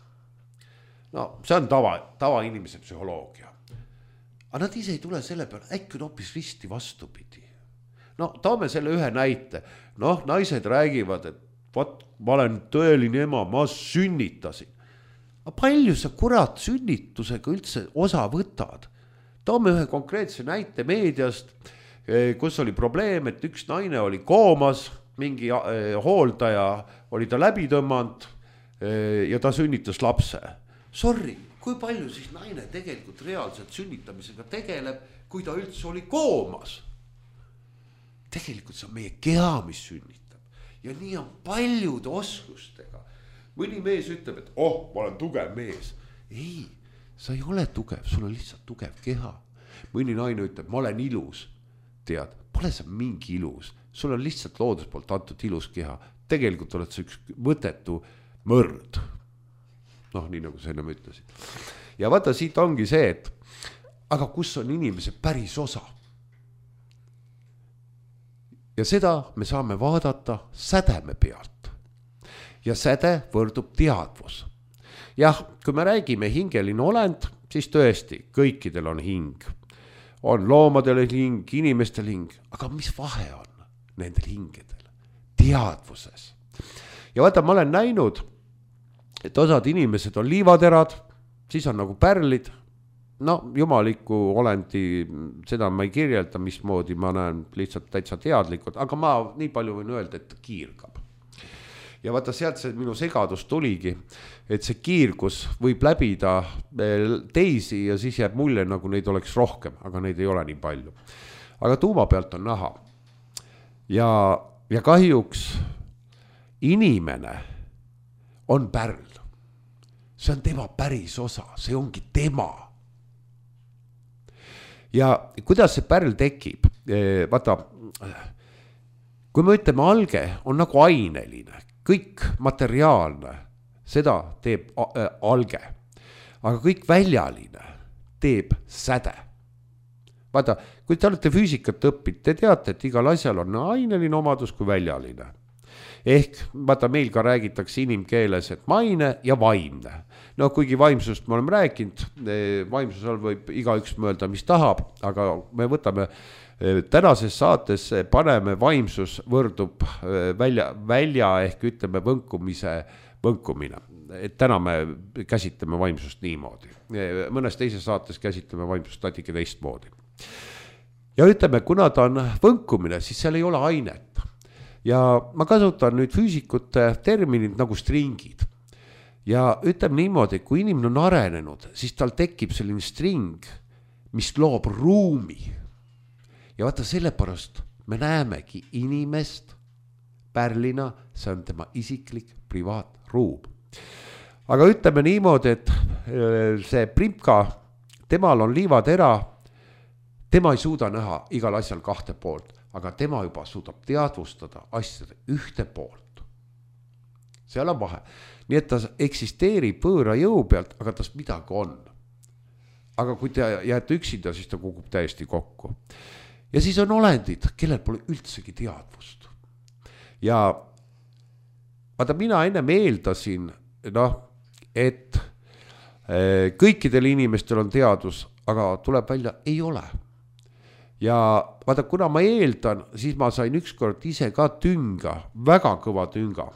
No, see on tava inimese psühholoogia. Aga nad ise ei tule selle peale, äkki on hoopis risti vastupidi. No, toome selle ühe näite. Noh, naised räägivad, et võt, ma olen tõeline ema, ma sünnitasin. Aga palju sa kurat sünnitusega üldse osa võtad? Toome ühe konkreetse näite meediast, kus oli probleem, et üks naine oli koomas, mingi hooldaja oli ta läbi tõmmanud ja ta sünnitas lapse. Sorry, kui palju siis naine tegelikult reaalselt sünnitamisega tegeleb, kui ta üldse oli koomas? Tegelikult see on meie keha, mis sünnitab. Ja nii on paljude oskustega. Mõni mees ütleb, et ma olen tugev mees. Ei, sa ei ole tugev, sul on lihtsalt tugev keha. Mõni naine ütleb, ma olen ilus. Tead, pole sa mingi ilus. Sul on lihtsalt loodus poolt antud ilus keha. Tegelikult oled sa üks mõttetu mõrd. Noh, nii nagu sa enne ütlesid. Ja vaata, siit ongi see, et aga kus on inimese päris osa? Ja seda me saame vaadata sädeme pealt. Ja säde võrdub teadvus. Jah, kui me räägime hingeline olend, siis tõesti, kõikidel on hing. On loomadel hing, inimestel hing. Aga mis vahe on nendel hingedel? Teadvuses. Ja vaata, ma olen näinud, et osad inimesed on liivaterad, siis on nagu pärlid. No, jumaliku olendi, seda ma ei kirjelda, mismoodi ma näen lihtsalt täitsa teadlikult, aga ma nii palju võin öelda, et ta kiirgab. Ja vaata, sealt see minu segadus tuligi, et see kiirgus võib läbida teisi ja siis jääb mulje, nagu neid oleks rohkem, aga neid ei ole nii palju. Aga tuuma pealt on näha. Ja kahjuks inimene on pärl. See on tema päris osa, see ongi tema. Ja kuidas see pärl tekib? Vaata, kui me ütleme, alge on nagu aineline, kõik materiaalne, seda teeb alge. Aga kõik väljaline teeb säde. Vaata, kui te olete füüsikat õppinud, te teate, et igal asjal on aineline omadus kui väljaline. Ehk, vaata, meil ka räägitakse inimkeeles, et maine ja vaimne. No kuigi vaimsust me oleme rääkinud, vaimsusel võib igaüks mõelda, mis tahab, aga me võtame tänases saates, paneme vaimsus võrdub välja ehk ütleme võnkumine. Et täna me käsitleme vaimsust niimoodi. Mõnes teises saates käsitleme vaimsust natuke teistmoodi. Ja ütleme, kuna ta on võnkumine, siis seal ei ole ainet. Ja ma kasutan nüüd füüsikute terminid nagu stringid. Ja ütleme niimoodi, kui inimene on arenenud, siis tal tekib selline string, mis loob ruumi. Ja vaata, sellepärast me näemegi inimest pärlina, see on tema isiklik privaatruum. Aga ütleme niimoodi, et see Primka, temal on liivatera, tema ei suuda näha igal asjal kahte poolt, aga tema juba suudab teadvustada asjade ühte poolt. Seal on vahe. Nii et ta eksisteerib võõra jõu pealt, aga tas midagi on. Aga kui te jääte üksinda, siis ta kukub täiesti kokku. Ja siis on olendid, kellel pole üldsegi teadvust. Ja vaata, mina ennem eeldasin, et kõikidel inimestel on teadus, aga tuleb välja, ei ole. Ja vaata, kuna ma eeldan, siis ma sain ükskord ise ka tünga, väga kõva tünga.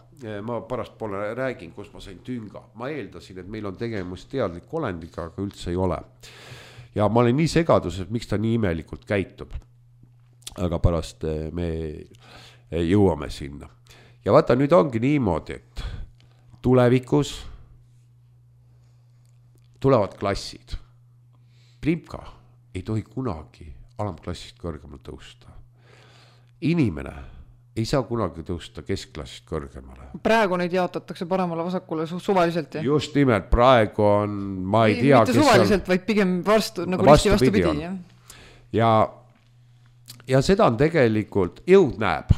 Ma pärast poole räägin, kus ma sain tünga. Ma eeldasin, et meil on tegemist teadlik olendiga, aga üldse ei ole. Ja ma olen nii segaduses, miks ta nii imelikult käitub. Aga pärast me jõuame sinna. Ja vaata, nüüd ongi niimoodi, et tulevikus tulevad klassid. Primka ei tohi kunagi alamklassist kõrgemale tõusta. Inimene ei saa kunagi tõusta keskklassist kõrgemale. Praegu neid jaotatakse paremale vasakule suvaliselt. Ja? Just nimelt, praegu on, ma ei tea, mitte suvaliselt, vaid pigem nagu vastupidi. Ja seda on tegelikult jõud näeb.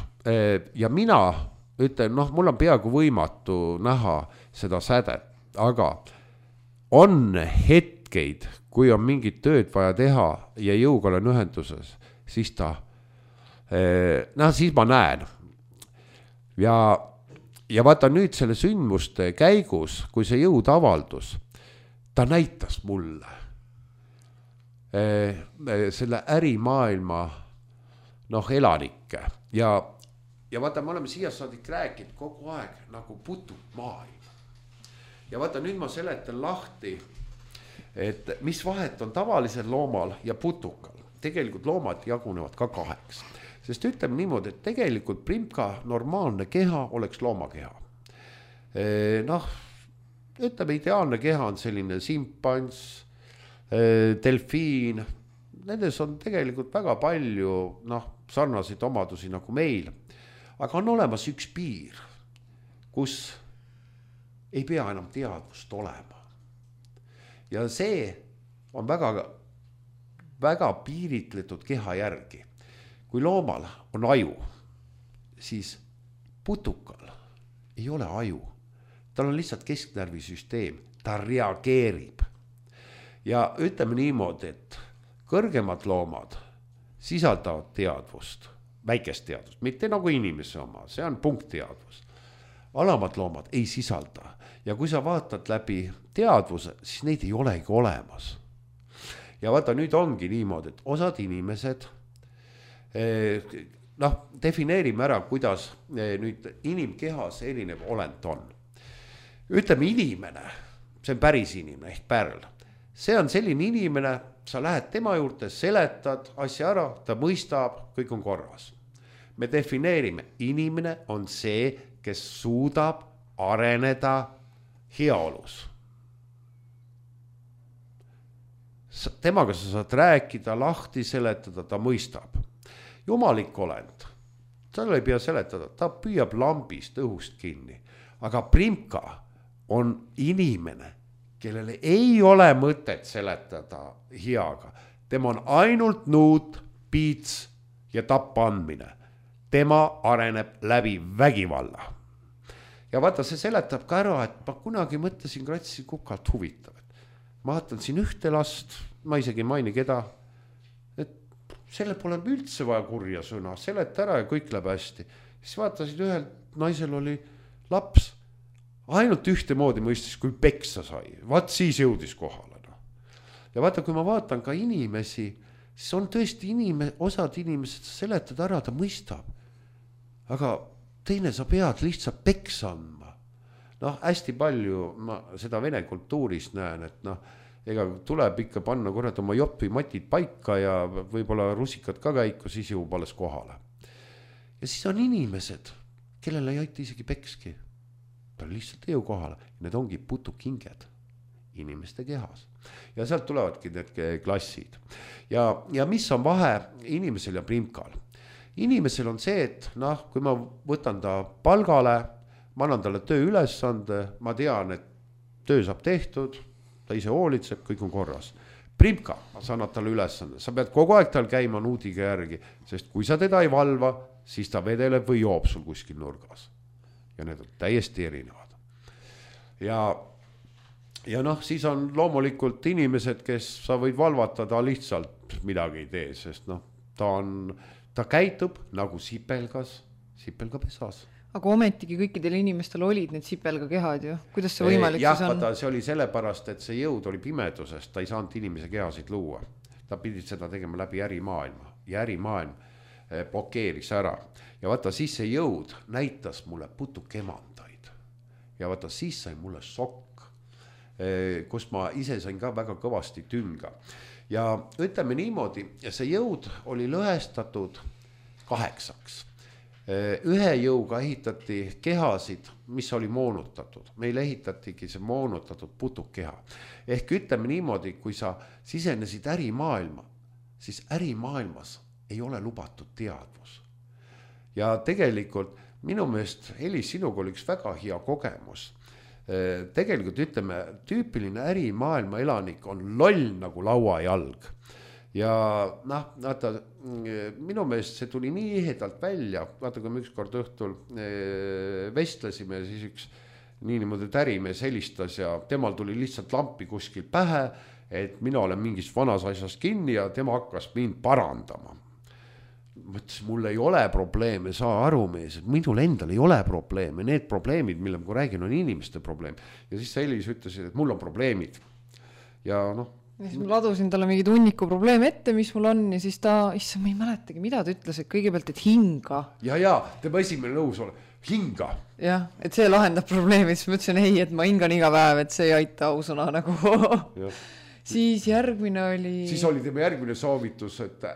Ja mina ütlen, mul on peaaegu võimatu näha seda sädet, aga on hetkeid, kui on mingit tööd vaja teha ja jõuga olen ühenduses, siis siis ma näen. Ja vaata nüüd selle sündmuste käigus, kui see jõud avaldus, ta näitas mulle selle ärimaailma elanikke. Ja vaata, me oleme siia saadik rääkinud kogu aeg nagu putuk maailm. Ja vaata, nüüd ma seletan lahti, et mis vahet on tavalisel loomal ja putukal. Tegelikult loomad jagunevad ka 2. Sest ütleme niimoodi, et tegelikult Primka normaalne keha oleks loomakeha. Ütleme, ideaalne keha on selline simpans, delfiin. Nendes on tegelikult väga palju sarnaseid omadusi nagu meil. Aga on olemas üks piir, kus ei pea enam teadvust olema. Ja see on väga, väga piiritletud keha järgi. Kui loomal on aju, siis putukal ei ole aju. Tal on lihtsalt kesknärvisüsteem, ta reageerib. Ja ütleme niimoodi, et kõrgemad loomad sisaldavad teadvust, väikest teadvust, mitte nagu inimese oma, see on punktteadvus. Alamad loomad ei sisalda ja kui sa vaatad läbi teadvuse, siis neid ei olegi olemas. Ja vaata, nüüd ongi niimoodi, et osad inimesed, defineerime ära, kuidas nüüd inimkehas erinev olend on. Ütleme inimene, see on päris inimene ehk pärl. See on selline inimene, sa lähed tema juurde, seletad asja ära, ta mõistab, kõik on korras. Me defineerime, inimene on see, kes suudab areneda heaolus. Temaga sa saad rääkida, lahti seletada, ta mõistab. Jumalik olend tal ei pea seletada, ta püüab lambist õhust kinni, aga Primka on inimene, kellele ei ole mõtet seletada heaga. Tema on ainult nuut, piits ja tappa andmine. Tema areneb läbi vägivalla. Ja vaata, see seletab ka ära, et ma kunagi mõtlesin Kratsi kukalt huvitav. Ma vaatan siin ühte last, ma isegi ei maini keda, et selle pole üldse vaja kurja sõna, seleta ära ja kõik läheb hästi. Siis vaatasin, ühel naisel oli laps, ainult ühte moodi mõistis, kui peksa sai. Vaat siis jõudis kohale. No. Ja vaata, kui ma vaatan ka inimesi, siis on tõesti osad inimesed seletad ära, ta mõistab. Aga teine sa pead lihtsalt peksa andma. Noh, hästi palju ma seda vene kultuuris näen, et noh, ega tuleb ikka panna kurat oma jopi matid paika ja võib-olla rusikad ka käiku, siis jõuab alles kohale. Ja siis on inimesed, kellele ei aita isegi pekski. Ta lihtsalt ei jõu kohale. Need ongi putukinged inimeste kehas. Ja sealt tulevadki need klassid. Ja mis on vahe inimesel ja Primkal? Inimesel on see, et noh, kui ma võtan ta palgale, ma annan talle töö ülesande, ma tean, et töö saab tehtud, ta ise hoolitseb, kõik on korras. Primka, ma saan talle ülesande, sa pead kogu aeg tal käima nuudiga järgi, sest kui sa teda ei valva, siis ta vedeleb või joob sul kuskil nurgas. Ja need on täiesti erinevad. Ja noh, siis on loomulikult inimesed, kes sa võid valvata, ta lihtsalt midagi ei tee, sest noh, ta käitub nagu sipelga pesas. Aga ometigi kõikidel inimestel olid need sipelga kehad ju. Kuidas see võimalik siis on? Jah, see oli sellepärast, et see jõud oli pimedusest, ta ei saanud inimese kehasid luua. Ta pidi seda tegema läbi ärimaailma ja ärimaailm blokeeris ära. Ja vaata, siis see jõud näitas mulle putukemandaid. Ja vaata, siis sai mulle sokk, kus ma ise sain ka väga kõvasti tünga. Ja ütleme niimoodi, see jõud oli lõhestatud 8. Ühe jõuga ehitati kehasid, mis oli moonutatud. Meil ehitatigi see moonutatud putukeha. Ehk ütleme niimoodi, kui sa sisenesid ärimaailma, siis ärimaailmas ei ole lubatud teadvus. Ja tegelikult minu meelest, Elis, sinuga oli üks väga hea kogemus. Tegelikult ütleme, tüüpiline ärimaailma elanik on loll nagu lauajalg. Ja noh, vaata, minu meelest see tuli nii ehedalt välja, vaata, kui me ükskord õhtul vestlesime, siis üks niimoodi ärimees helistas ja temal tuli lihtsalt lampi kuskil pähe, et mina olen mingis vanas asjas kinni ja tema hakkas mind parandama. Mõtlesin, mul ei ole probleeme, saa aru mees, et minul endal ei ole probleeme, need probleemid, mille ma räägin, on inimeste probleem. Ja siis Elis ütles, et mul on probleemid. Ja noh. Ja siis ma ladusin talle mingi tunniku probleem ette, mis mul on, ja siis ta, issa, ma ei mäletagi, mida ta ütles, et kõigepealt, et hinga. Ja, tema esimene nõus ole, hinga. Jah, et see lahendab probleemi, siis ma ütlesin, ei, et ma hingan iga päev, et see ei aita ausõna nagu. Siis järgmine oli... Siis oli tema järgmine soovitus, et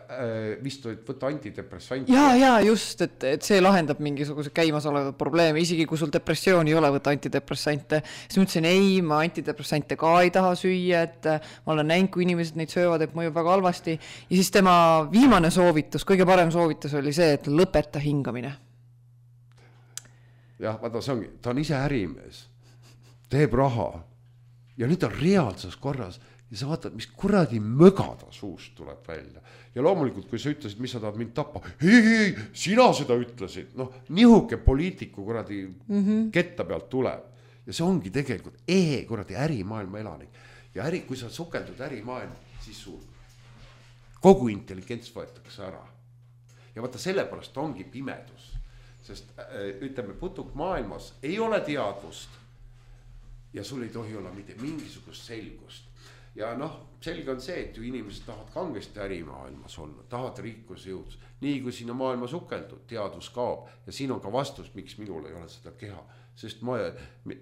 vist võtta antidepressante. Ja, just, et see lahendab mingisuguse käimas olevat probleemi, isegi kui sul depressioon ei ole võtta antidepressante. Siis ma ütlesin, ei, ma antidepressante ka ei taha süüa, et ma olen näinud, kui inimesed neid söövad, et mõjub väga halvasti. Ja siis tema viimane soovitus, kõige parem soovitus oli see, et lõpeta hingamine. Jah, vaata, ta on ise ärimees, teeb raha ja nüüd on reaalses korras. Ja sa vaatad, mis kuradi mögada suust tuleb välja. Ja loomulikult, kui sa ütlesid, mis sa tahad mind tappa, ei, sina seda ütlesid. Noh, nihuke poliitiku kuradi ketta pealt tuleb. Ja see ongi tegelikult kuradi ärimaailma elanik. Ja kui sa sukeldud ärimaailma, siis sul kogu intelligents võetakse ära. Ja vaata, sellepärast ongi pimedus. Sest ütleme, putuk maailmas ei ole teadvust ja sul ei tohi olla mitte mingisugust selgust. Ja noh, selge on see, et ju inimesed tahavad kangesti ärimaailmas olla, tahavad rikkuse jõudus. Nii kui sinna maailma sukeldud, teadvus kaob. Ja siin on ka vastus, miks minul ei ole seda keha. Sest ma,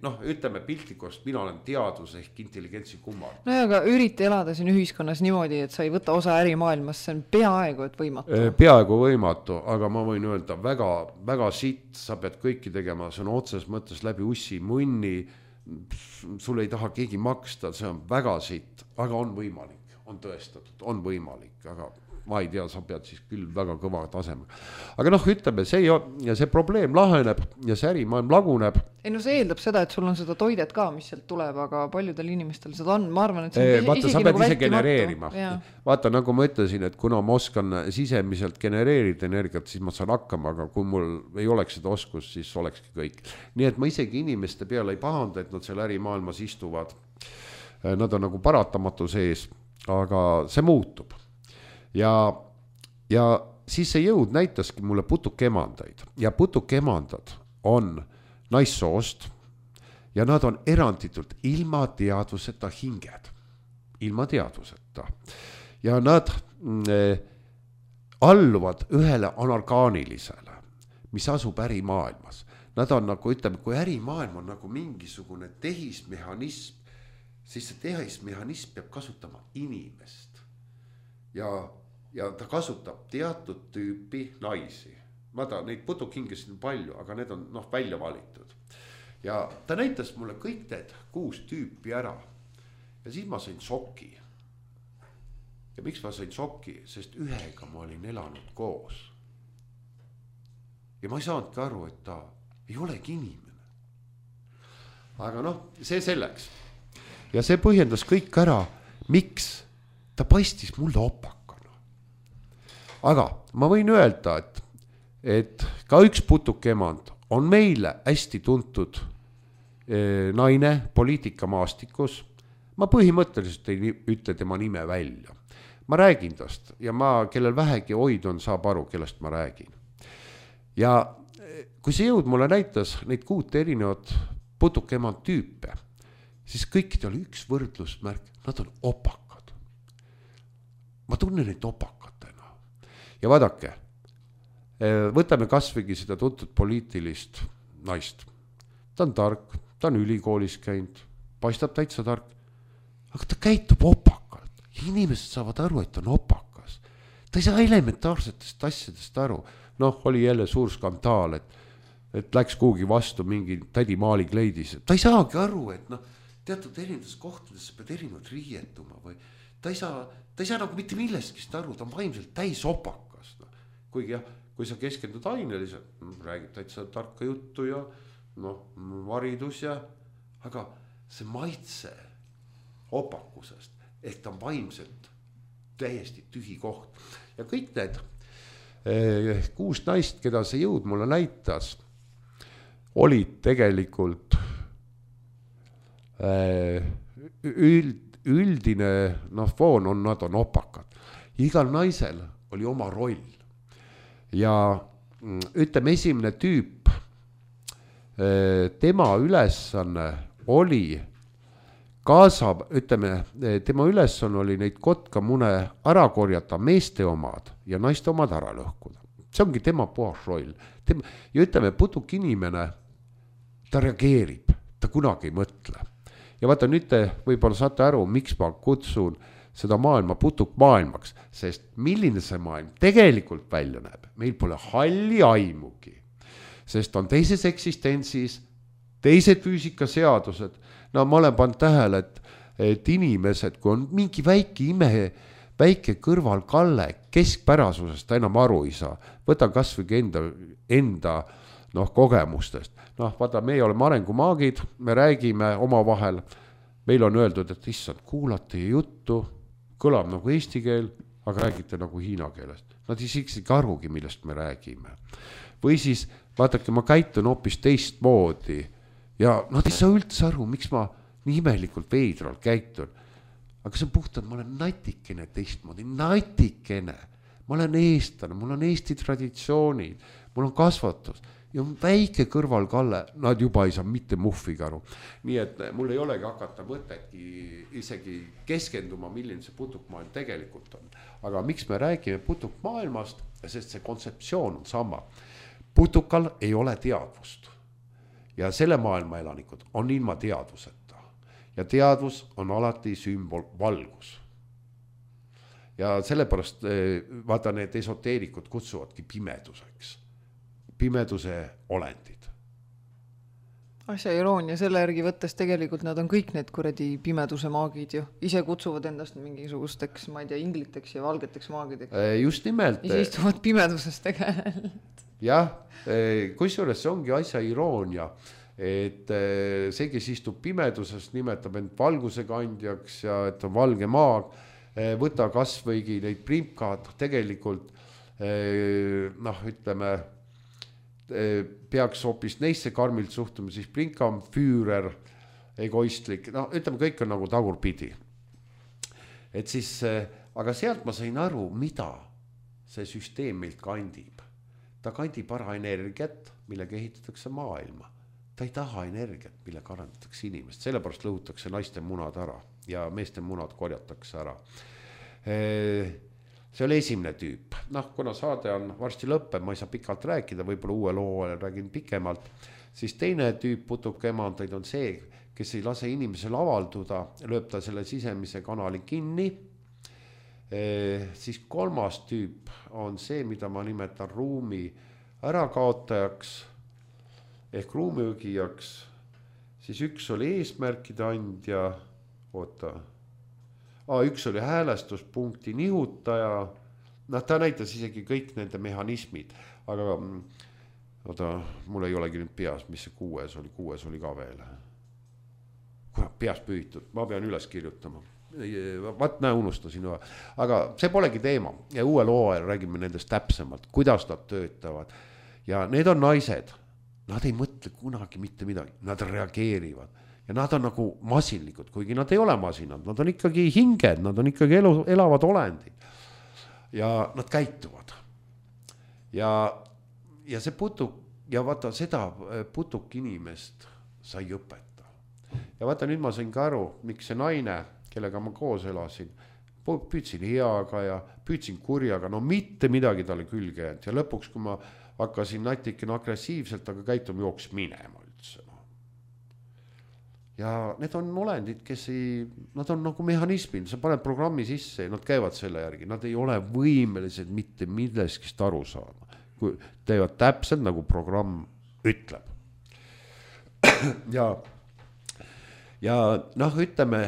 noh, ütleme piltlikust, mina olen teadvus ehk intelligentsi kummar. No aga ürita elada siin ühiskonnas niimoodi, et sa ei võta osa ärimaailmas, see on peaaegu et võimatu. Peaaegu võimatu, aga ma võin öelda väga, väga sitt, sa pead kõiki tegema, see on otses mõttes läbi ussi, munni, sul ei taha keegi maksta, see on väga sitt, aga on võimalik, on tõestatud, on võimalik, aga ma ei tea, sa pead siis küll väga kõva tasemega. Aga noh, ütleme, see probleem laheneb ja see ärimaailm laguneb. Ei no see eeldab seda, et sul on seda toidet ka, mis sealt tuleb, aga paljudel inimestel seda on, ma arvan, et see on vaata, sa pead nagu ise genereerima. Vaata, nagu ma ütlesin, et kuna ma oskan sisemiselt genereerida energiat, siis ma saan hakkama, aga kui mul ei oleks seda oskust, siis olekski kõik. Nii et ma isegi inimeste peale ei pahanda, et nad seal ärimaailmas istuvad. Nad on nagu paratamatu sees, aga see muutub. Ja siis see jõud näitaski mulle putukemandaid ja putukemandad on naissoost ja nad on eranditult ilma teadvuseta hinged. Ilma teadvuseta. Ja nad alluvad ühele anargaanilisele, mis asub ärimaailmas. Nad on nagu, ütleme, kui ärimaailm on nagu mingisugune tehismehhanism, siis see tehismehhanism peab kasutama inimest. Ja ta kasutab teatud tüüpi naisi. Neid putukhingesid on palju, aga need on välja valitud. Ja ta näitas mulle kõik need 6 tüüpi ära. Ja siis ma sain šoki. Ja miks ma sain šoki? Sest ühega ma olin elanud koos. Ja ma ei saanudki aru, et ta ei olegi inimene. Aga see selleks. Ja see põhjendas kõik ära, miks ta paistis mulle opakana. Aga ma võin öelda, et ka üks putukemand on meile hästi tuntud naine poliitikamaastikus. Ma põhimõtteliselt ei ütle tema nime välja. Ma räägin tast ja kellel vähegi hoid on, saab aru, kellest ma räägin. Ja kui see jõud mulle näitas neid 6 erinevat putukemand tüüpe, siis kõikidel oli üks võrdlusmärk, nad on opakad. Ma tunnen neid opakatena. Ja vaadake, võtame kasvõigi seda tuntud poliitilist naist. Ta on tark, ta on ülikoolis käinud, paistab täitsa tark, aga ta käitub opakalt. Inimesed saavad aru, et ta on opakas. Ta ei saa elementaarsetest asjadest aru. Oli jälle suur skandaal, et läks kuhugi vastu mingi tädi maalikleidis. Ta ei saagi aru, et teatud erinevates kohtades sa pead erinevalt riietuma või ta ei saa nagu mitte millestki aru, ta on vaimselt täis opakas. Kuigi kui sa keskendud aineliselt, räägid täitsa tarka juttu ja varidus aga see maitse opakusest, ehk ta on vaimselt täiesti tühi koht. Ja kõik need 6 naist, keda see jõud mulle näitas, olid tegelikult üldine foon on, nad on opakad. Igal naisel oli oma roll. Ja ütleme, esimene tüüp, tema ülesanne oli kaasab, ütleme, tema ülesanne oli neid kotkamune ära korjata, meeste omad ja naiste omad ära lõhkuda. See ongi tema puhas roll. Ja ütleme, putuk inimene, ta reageerib, ta kunagi ei mõtle. Ja vaata, nüüd te võib-olla saate aru, miks ma kutsun seda maailma putuk maailmaks, sest milline see maailm tegelikult välja näeb, meil pole halli aimugi, sest on teises eksistentsis, teised füüsikaseadused. Ma olen pannud tähele, et inimesed, kui on mingi väike kõrvalkalle keskpärasusest, ta enam aru ei saa, võta kas või enda kogemustest. Vaata, me oleme arengumaagid, me räägime omavahel, meil on öeldud, et issand, kuulate juttu, kõlab nagu eesti keel, aga räägite nagu hiina keelest. Nad ei siksigi arugi, millest me räägime. Või siis, vaadake, ma käitun hoopis teistmoodi ja nad ei saa üldse aru, miks ma nii imelikult veidral käitun. Aga see on puhtalt, ma olen natikene teistmoodi, natikene. Ma olen eestlane, mul on eesti traditsioonid, mul on kasvatus ja on väike kõrvalkalle, nad juba ei saa mitte muhviga aru. Nii et mul ei olegi hakata mõtetki isegi keskenduma, milline see putukmaailm tegelikult on. Aga miks me räägime putukmaailmast, sest see kontseptsioon on sama. Putukal ei ole teadvust ja selle maailma elanikud on ilma teadvuseta ja teadvus on alati sümbol valgus. Ja sellepärast vaata, need esoteerikud kutsuvadki pimeduseks. Pimeduse olendid. asja iroonia selle järgi võttes tegelikult nad on kõik need kuradi pimeduse maagid ju. Ise kutsuvad endast mingisugusteks, ma ei tea, ingliteks ja valgeteks maagideks. Just nimelt. Ise istuvad pimeduses tegelikult. Jah, kusjuures see ongi asja iroonia, et see, kes istub pimeduses, nimetab end valguse kandjaks ja et on valge maag, võta kas võigi neid primkad tegelikult, ütleme, peaks hoopis neisse karmilt suhtuma, siis prinkam, füürer, egoistlik, ütleme, kõik on nagu tagurpidi. Et siis, aga sealt ma sain aru, mida see süsteem meilt kandib. Ta kandib ära energiat, millega ehitatakse maailma. Ta ei taha energiat, millega arendatakse inimest, sellepärast lõhutakse naiste munad ära ja meeste munad korjatakse ära. See oli esimene tüüp. Kuna saade on varsti lõppeb, ma ei saa pikalt rääkida, võib-olla uue loo räägin pikemalt, siis teine tüüp putukemandaid on see, kes ei lase inimesel avalduda, lööb ta selle sisemise kanali kinni. Siis kolmas tüüp on see, mida ma nimetan ruumi ärakaotajaks ehk ruumiõgijaks. Siis üks oli eesmärkide andja, üks oli häälestuspunkti nihutaja, ta näitas isegi kõik nende mehhanismid, aga mul ei olegi nüüd peas, mis see kuues oli ka veel. Peas püütud, ma pean üles kirjutama. Unustasin, aga see polegi teema ja uue loo räägime nendest täpsemalt, kuidas nad töötavad ja need on naised, nad ei mõtle kunagi mitte midagi, nad reageerivad. Ja nad on nagu masinlikud, kuigi nad ei ole masinad, nad on ikkagi hinged, nad on ikkagi elavad olendid. Ja nad käituvad. Ja see putuk, ja vaata seda putuk inimest sai õpeta. Ja vaata nüüd ma sain ka aru, miks see naine, kellega ma koos elasin, püüdsin heaga ja püüdsin kurjaga, mitte midagi talle külge jäänud. Ja lõpuks, kui ma hakkasin natikene agressiivselt, aga käituma jooks minema üldse. Ja need on olendid, nad on nagu mehhanismid, sa paned programmi sisse ja nad käivad selle järgi, nad ei ole võimelised mitte milleskist aru saama, kui teevad täpselt nagu programm ütleb. Ja ütleme,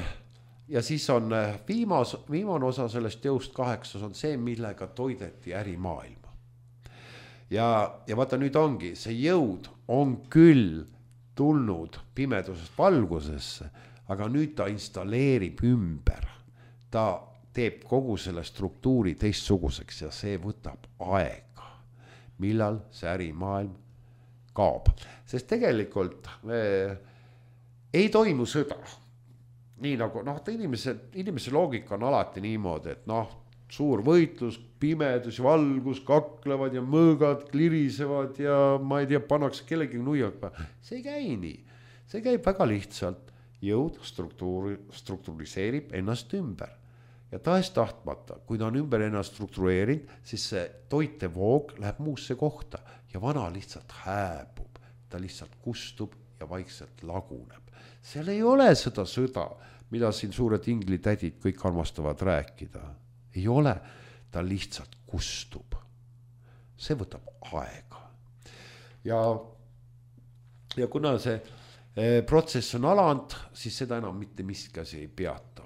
ja siis on viimane osa sellest jõust 8 on see, millega toideti ärimaailma. Ja vaata nüüd ongi, see jõud on küll tulnud pimedusest valgusesse, aga nüüd ta installeerib ümber. Ta teeb kogu selle struktuuri teistsuguseks ja see võtab aega, millal see ärimaailm kaob. Sest tegelikult ei toimu sõda. Nii nagu, inimese loogika on alati niimoodi, et suur võitlus, pimedus ja valgus kaklevad ja mõõgad klirisevad ja ma ei tea, pannakse kellegi nuiak. See ei käi nii. See käib väga lihtsalt. Jõud struktuuriseerib ennast ümber. Ja tahes tahtmata, kui ta on ümber ennast struktureerinud, siis see toitevoog läheb muusse kohta ja vana lihtsalt hääbub. Ta lihtsalt kustub ja vaikselt laguneb. Seal ei ole seda sõda, mida siin suured inglitädid kõik armastavad rääkida. Ei ole, ta lihtsalt kustub. See võtab aega. Ja kuna see protsess on alanud, siis seda enam mitte miskasi ei peata.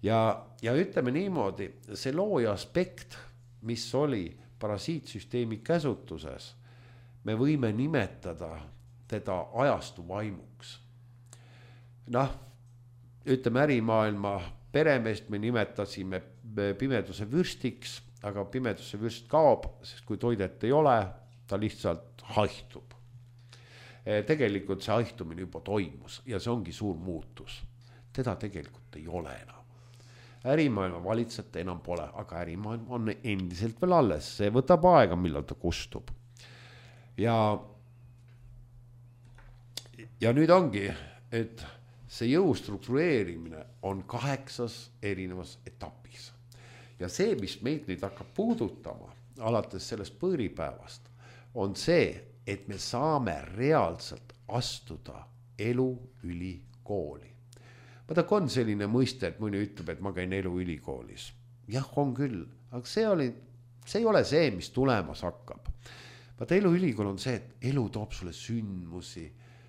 Ja ütleme niimoodi, see looja aspekt, mis oli parasiitsüsteemi käsutuses, me võime nimetada teda ajastu vaimuks. Ütleme ärimaailma peremeest me nimetasime pimeduse vürstiks, aga pimeduse vürst kaob, sest kui toidet ei ole, ta lihtsalt haihtub. Tegelikult see haihtumine juba toimus ja see ongi suur muutus. Teda tegelikult ei ole enam. Ärimaailma valitsete enam pole, aga ärimaailm on endiselt veel alles. See võtab aega, millal ta kustub. Ja nüüd ongi, et see jõu struktureerimine on 8 erinevas etapis. Ja see, mis meid nüüd hakkab puudutama, alates sellest põõripäevast, on see, et me saame reaalselt astuda eluülikooli. Vaata, on selline mõiste, et mõni ütleb, et ma käin eluülikoolis. Jah, on küll, aga see ei ole see, mis tulemas hakkab. Vaata, eluülikool on see, et elu toob sulle sündmusi,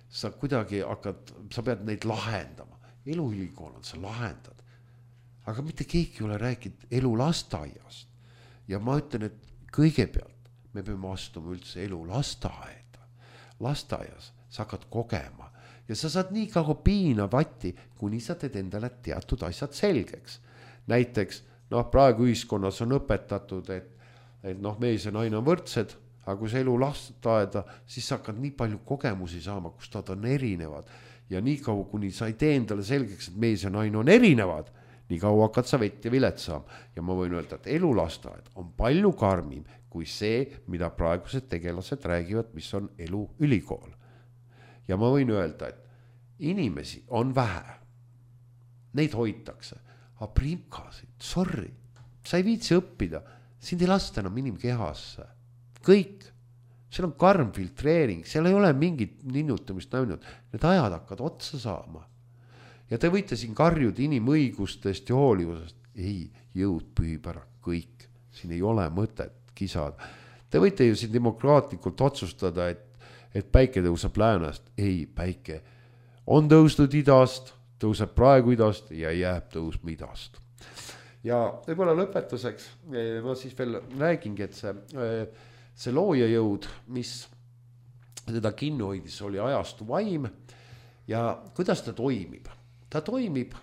sa kuidagi hakkad, sa pead neid lahendama. Eluülikool on, sa lahendad. Aga mitte keegi ei ole rääkinud elu lasteaiast. Ja ma ütlen, et kõigepealt me peame astuma üldse elu lasteaeda. Lasteaias sa hakkad kogema ja sa saad nii kaua piina vatti, kuni sa teed endale teatud asjad selgeks. Näiteks, praegu ühiskonnas on õpetatud, et mees ja naine on võrdsed, aga kui sa elu lasteaeda, siis sa hakkad nii palju kogemusi saama, kus nad on erinevad. Ja nii kaua, kuni sa ei tee endale selgeks, et mees ja naine on erinevad, nii kaua hakkad sa vett ja vilet saama. Ja ma võin öelda, et elu lasteaed on palju karmim kui see, mida praegused tegelased räägivad, mis on elu ülikool. Ja ma võin öelda, et inimesi on vähe. Neid hoitakse. Aga primkasid, sorry, sa ei viitsi õppida. Sind ei lasta enam inimkehasse. Kõik. Seal on karm filtreering. Seal ei ole mingit ninnutamist näinud. Need ajad hakkad otsa saama. Ja te võite siin karjuda inimõigustest ja hoolivusest. Ei, jõud pühib ära kõik. Siin ei ole mõtet kisada. Te võite ju siin demokraatlikult otsustada, et päike tõuseb läänest. Ei, päike on tõusnud idast, tõuseb praegu idast ja jääb tõusma idast. Ja võib-olla lõpetuseks ma siis veel räägingi, et see looja jõud, mis teda kinni hoidis, oli ajastu vaim ja kuidas ta toimib? Ta toimib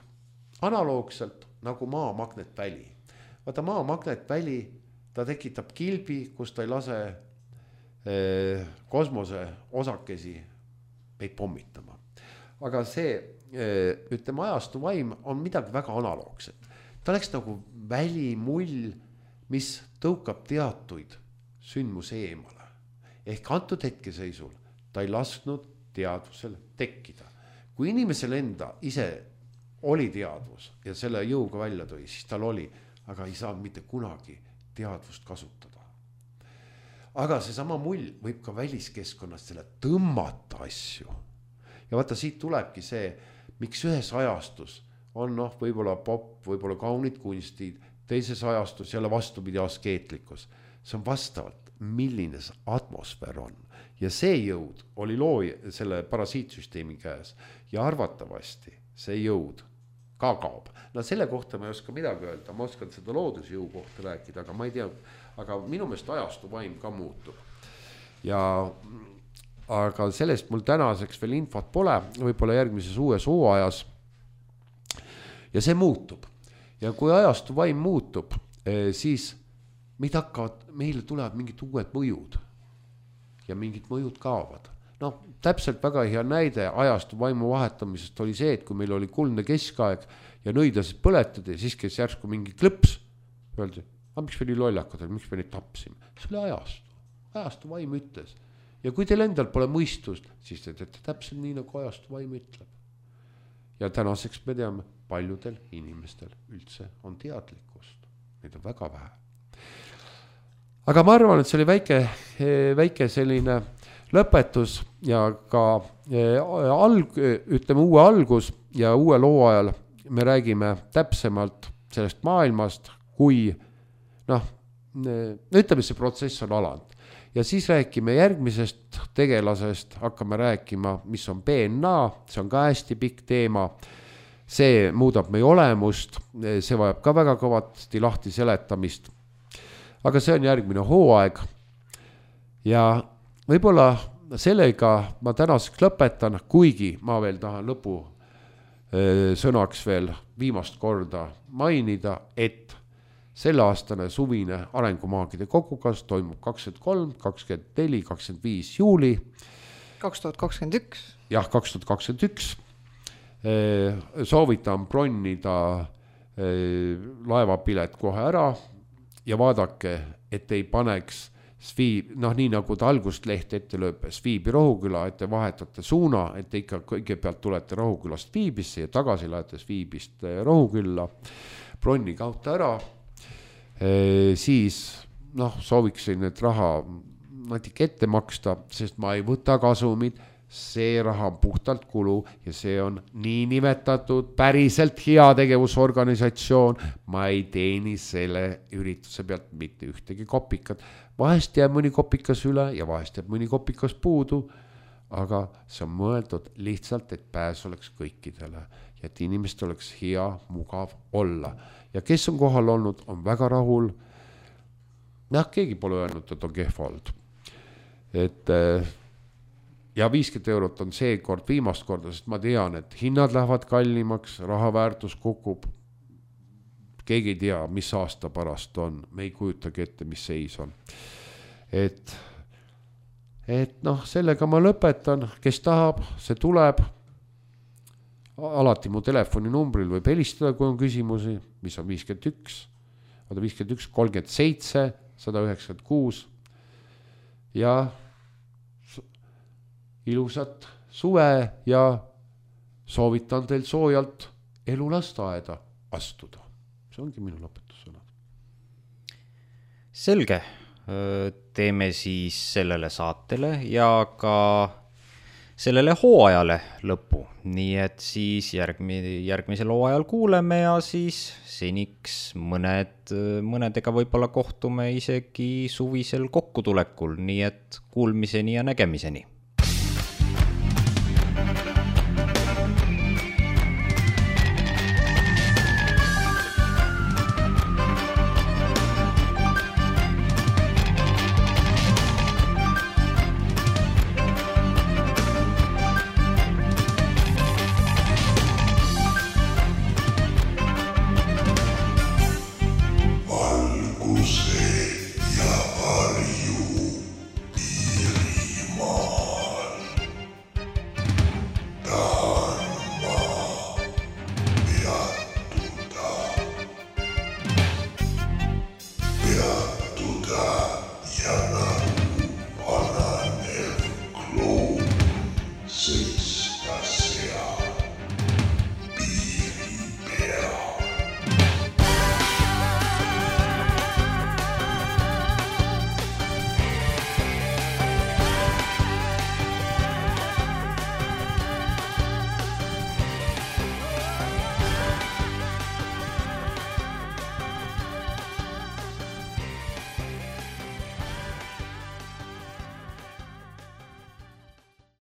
analoogselt nagu maa magnetväli. Vaata maa magnetväli, ta tekitab kilbi, kus ta ei lase kosmose osakesi meid pommitama. Aga see, ütleme, ajastu vaim on midagi väga analoogset. Ta oleks nagu välimull, mis tõukab teatuid sündmuse eemale. Ehk antud hetkeseisul ta ei lasknud teadvusel tekkida. Kui inimesel enda ise oli teadvus ja selle jõuga välja tõi, siis tal oli, aga ei saanud mitte kunagi teadvust kasutada. Aga see sama mull võib ka väliskeskkonnast selle tõmmata asju. Ja vaata, siit tulebki see, miks ühes ajastus on võib-olla pop, võib-olla kaunid kunstid, teises ajastus jälle vastupidi askeetlikkus. See on vastavalt, milline see atmosfäär on. Ja see jõud oli looja selle parasiitsüsteemi käes ja arvatavasti see jõud ka kaob. No selle kohta ma ei oska midagi öelda, ma oskan seda loodusjõu kohta rääkida, aga ma ei tea, aga minu meelest ajastu vaim ka muutub. Aga sellest mul tänaseks veel infot pole, võib-olla järgmises uues hooajas. Ja see muutub. Ja kui ajastu vaim muutub, siis meile tulevad mingid uued mõjud ja mingid mõjud kaovad. Täpselt väga hea näide ajastu vaimu vahetamisest oli see, et kui meil oli kuldne keskaeg ja nõidasid põletad ja siis käis järsku mingi klõps, öeldi, miks me nii lollakad, miks me neid tapsime. See oli ajastu vaim ütles. Ja kui teil endal pole mõistust, siis te teete täpselt nii, nagu ajastu vaim ütleb. Ja tänaseks me teame, paljudel inimestel üldse on teadlikkust. Neid on väga vähe. Aga ma arvan, et see oli väike selline lõpetus ja ka ütleme uue algus ja uue loo ajal me räägime täpsemalt sellest maailmast, kui ütleme, see protsess on alanud. Ja siis räägime järgmisest tegelasest, hakkame rääkima, mis on DNA, see on ka hästi pikk teema. See muudab meie olemust, see vajab ka väga kõvasti lahti seletamist. Aga see on järgmine hooaeg ja võib-olla sellega ma tänaseks lõpetan, kuigi ma veel tahan lõpu sõnaks veel viimast korda mainida, et selle aastane suvine arengumaagide kogukas toimub 23, 24, 25 juuli. 2021. Jah, 2021. Soovitan bronnida laevapilet kohe ära ja vaadake, et ei paneks nii nagu ta algust leht ette lööb Sviibi Rohuküla, et te vahetate suuna, et te ikka kõigepealt tulete Rohukülast Viibisse ja tagasi lähete Viibist Rohukülla, bronni kauta ära, siis sooviksin, et raha natuke ette maksta, sest ma ei võta kasumid, see raha on puhtalt kulu ja see on nii nimetatud päriselt heategevusorganisatsioon, ma ei teeni selle ürituse pealt mitte ühtegi kopikat. Vahest jääb mõni kopikas üle ja vahest jääb mõni kopikas puudu, aga see on mõeldud lihtsalt, et pääs oleks kõikidele ja et inimestel oleks hea, mugav olla. Ja kes on kohal olnud, on väga rahul. Keegi pole öelnud, et on kehv olnud. Et ja 50 eurot on see kord viimast korda, sest ma tean, et hinnad lähevad kallimaks, raha väärtus kukub. Keegi ei tea, mis aasta pärast on. Me ei kujutagi ette, mis seis on. Et sellega ma lõpetan. Kes tahab, see tuleb. Alati mu telefoninumbril võib helistada, kui on küsimusi, mis on 51 37 196 ja ilusat suve ja soovitan teil soojalt elulasteaeda astuda. See ongi minu lõpetussõnad. Selge. Teeme siis sellele saatele ja ka sellele hooajale lõpu. Nii et siis järgmisel hooajal kuuleme ja siis seniks mõnedega võib-olla kohtume isegi suvisel kokkutulekul. Nii et kuulmiseni ja nägemiseni. Six.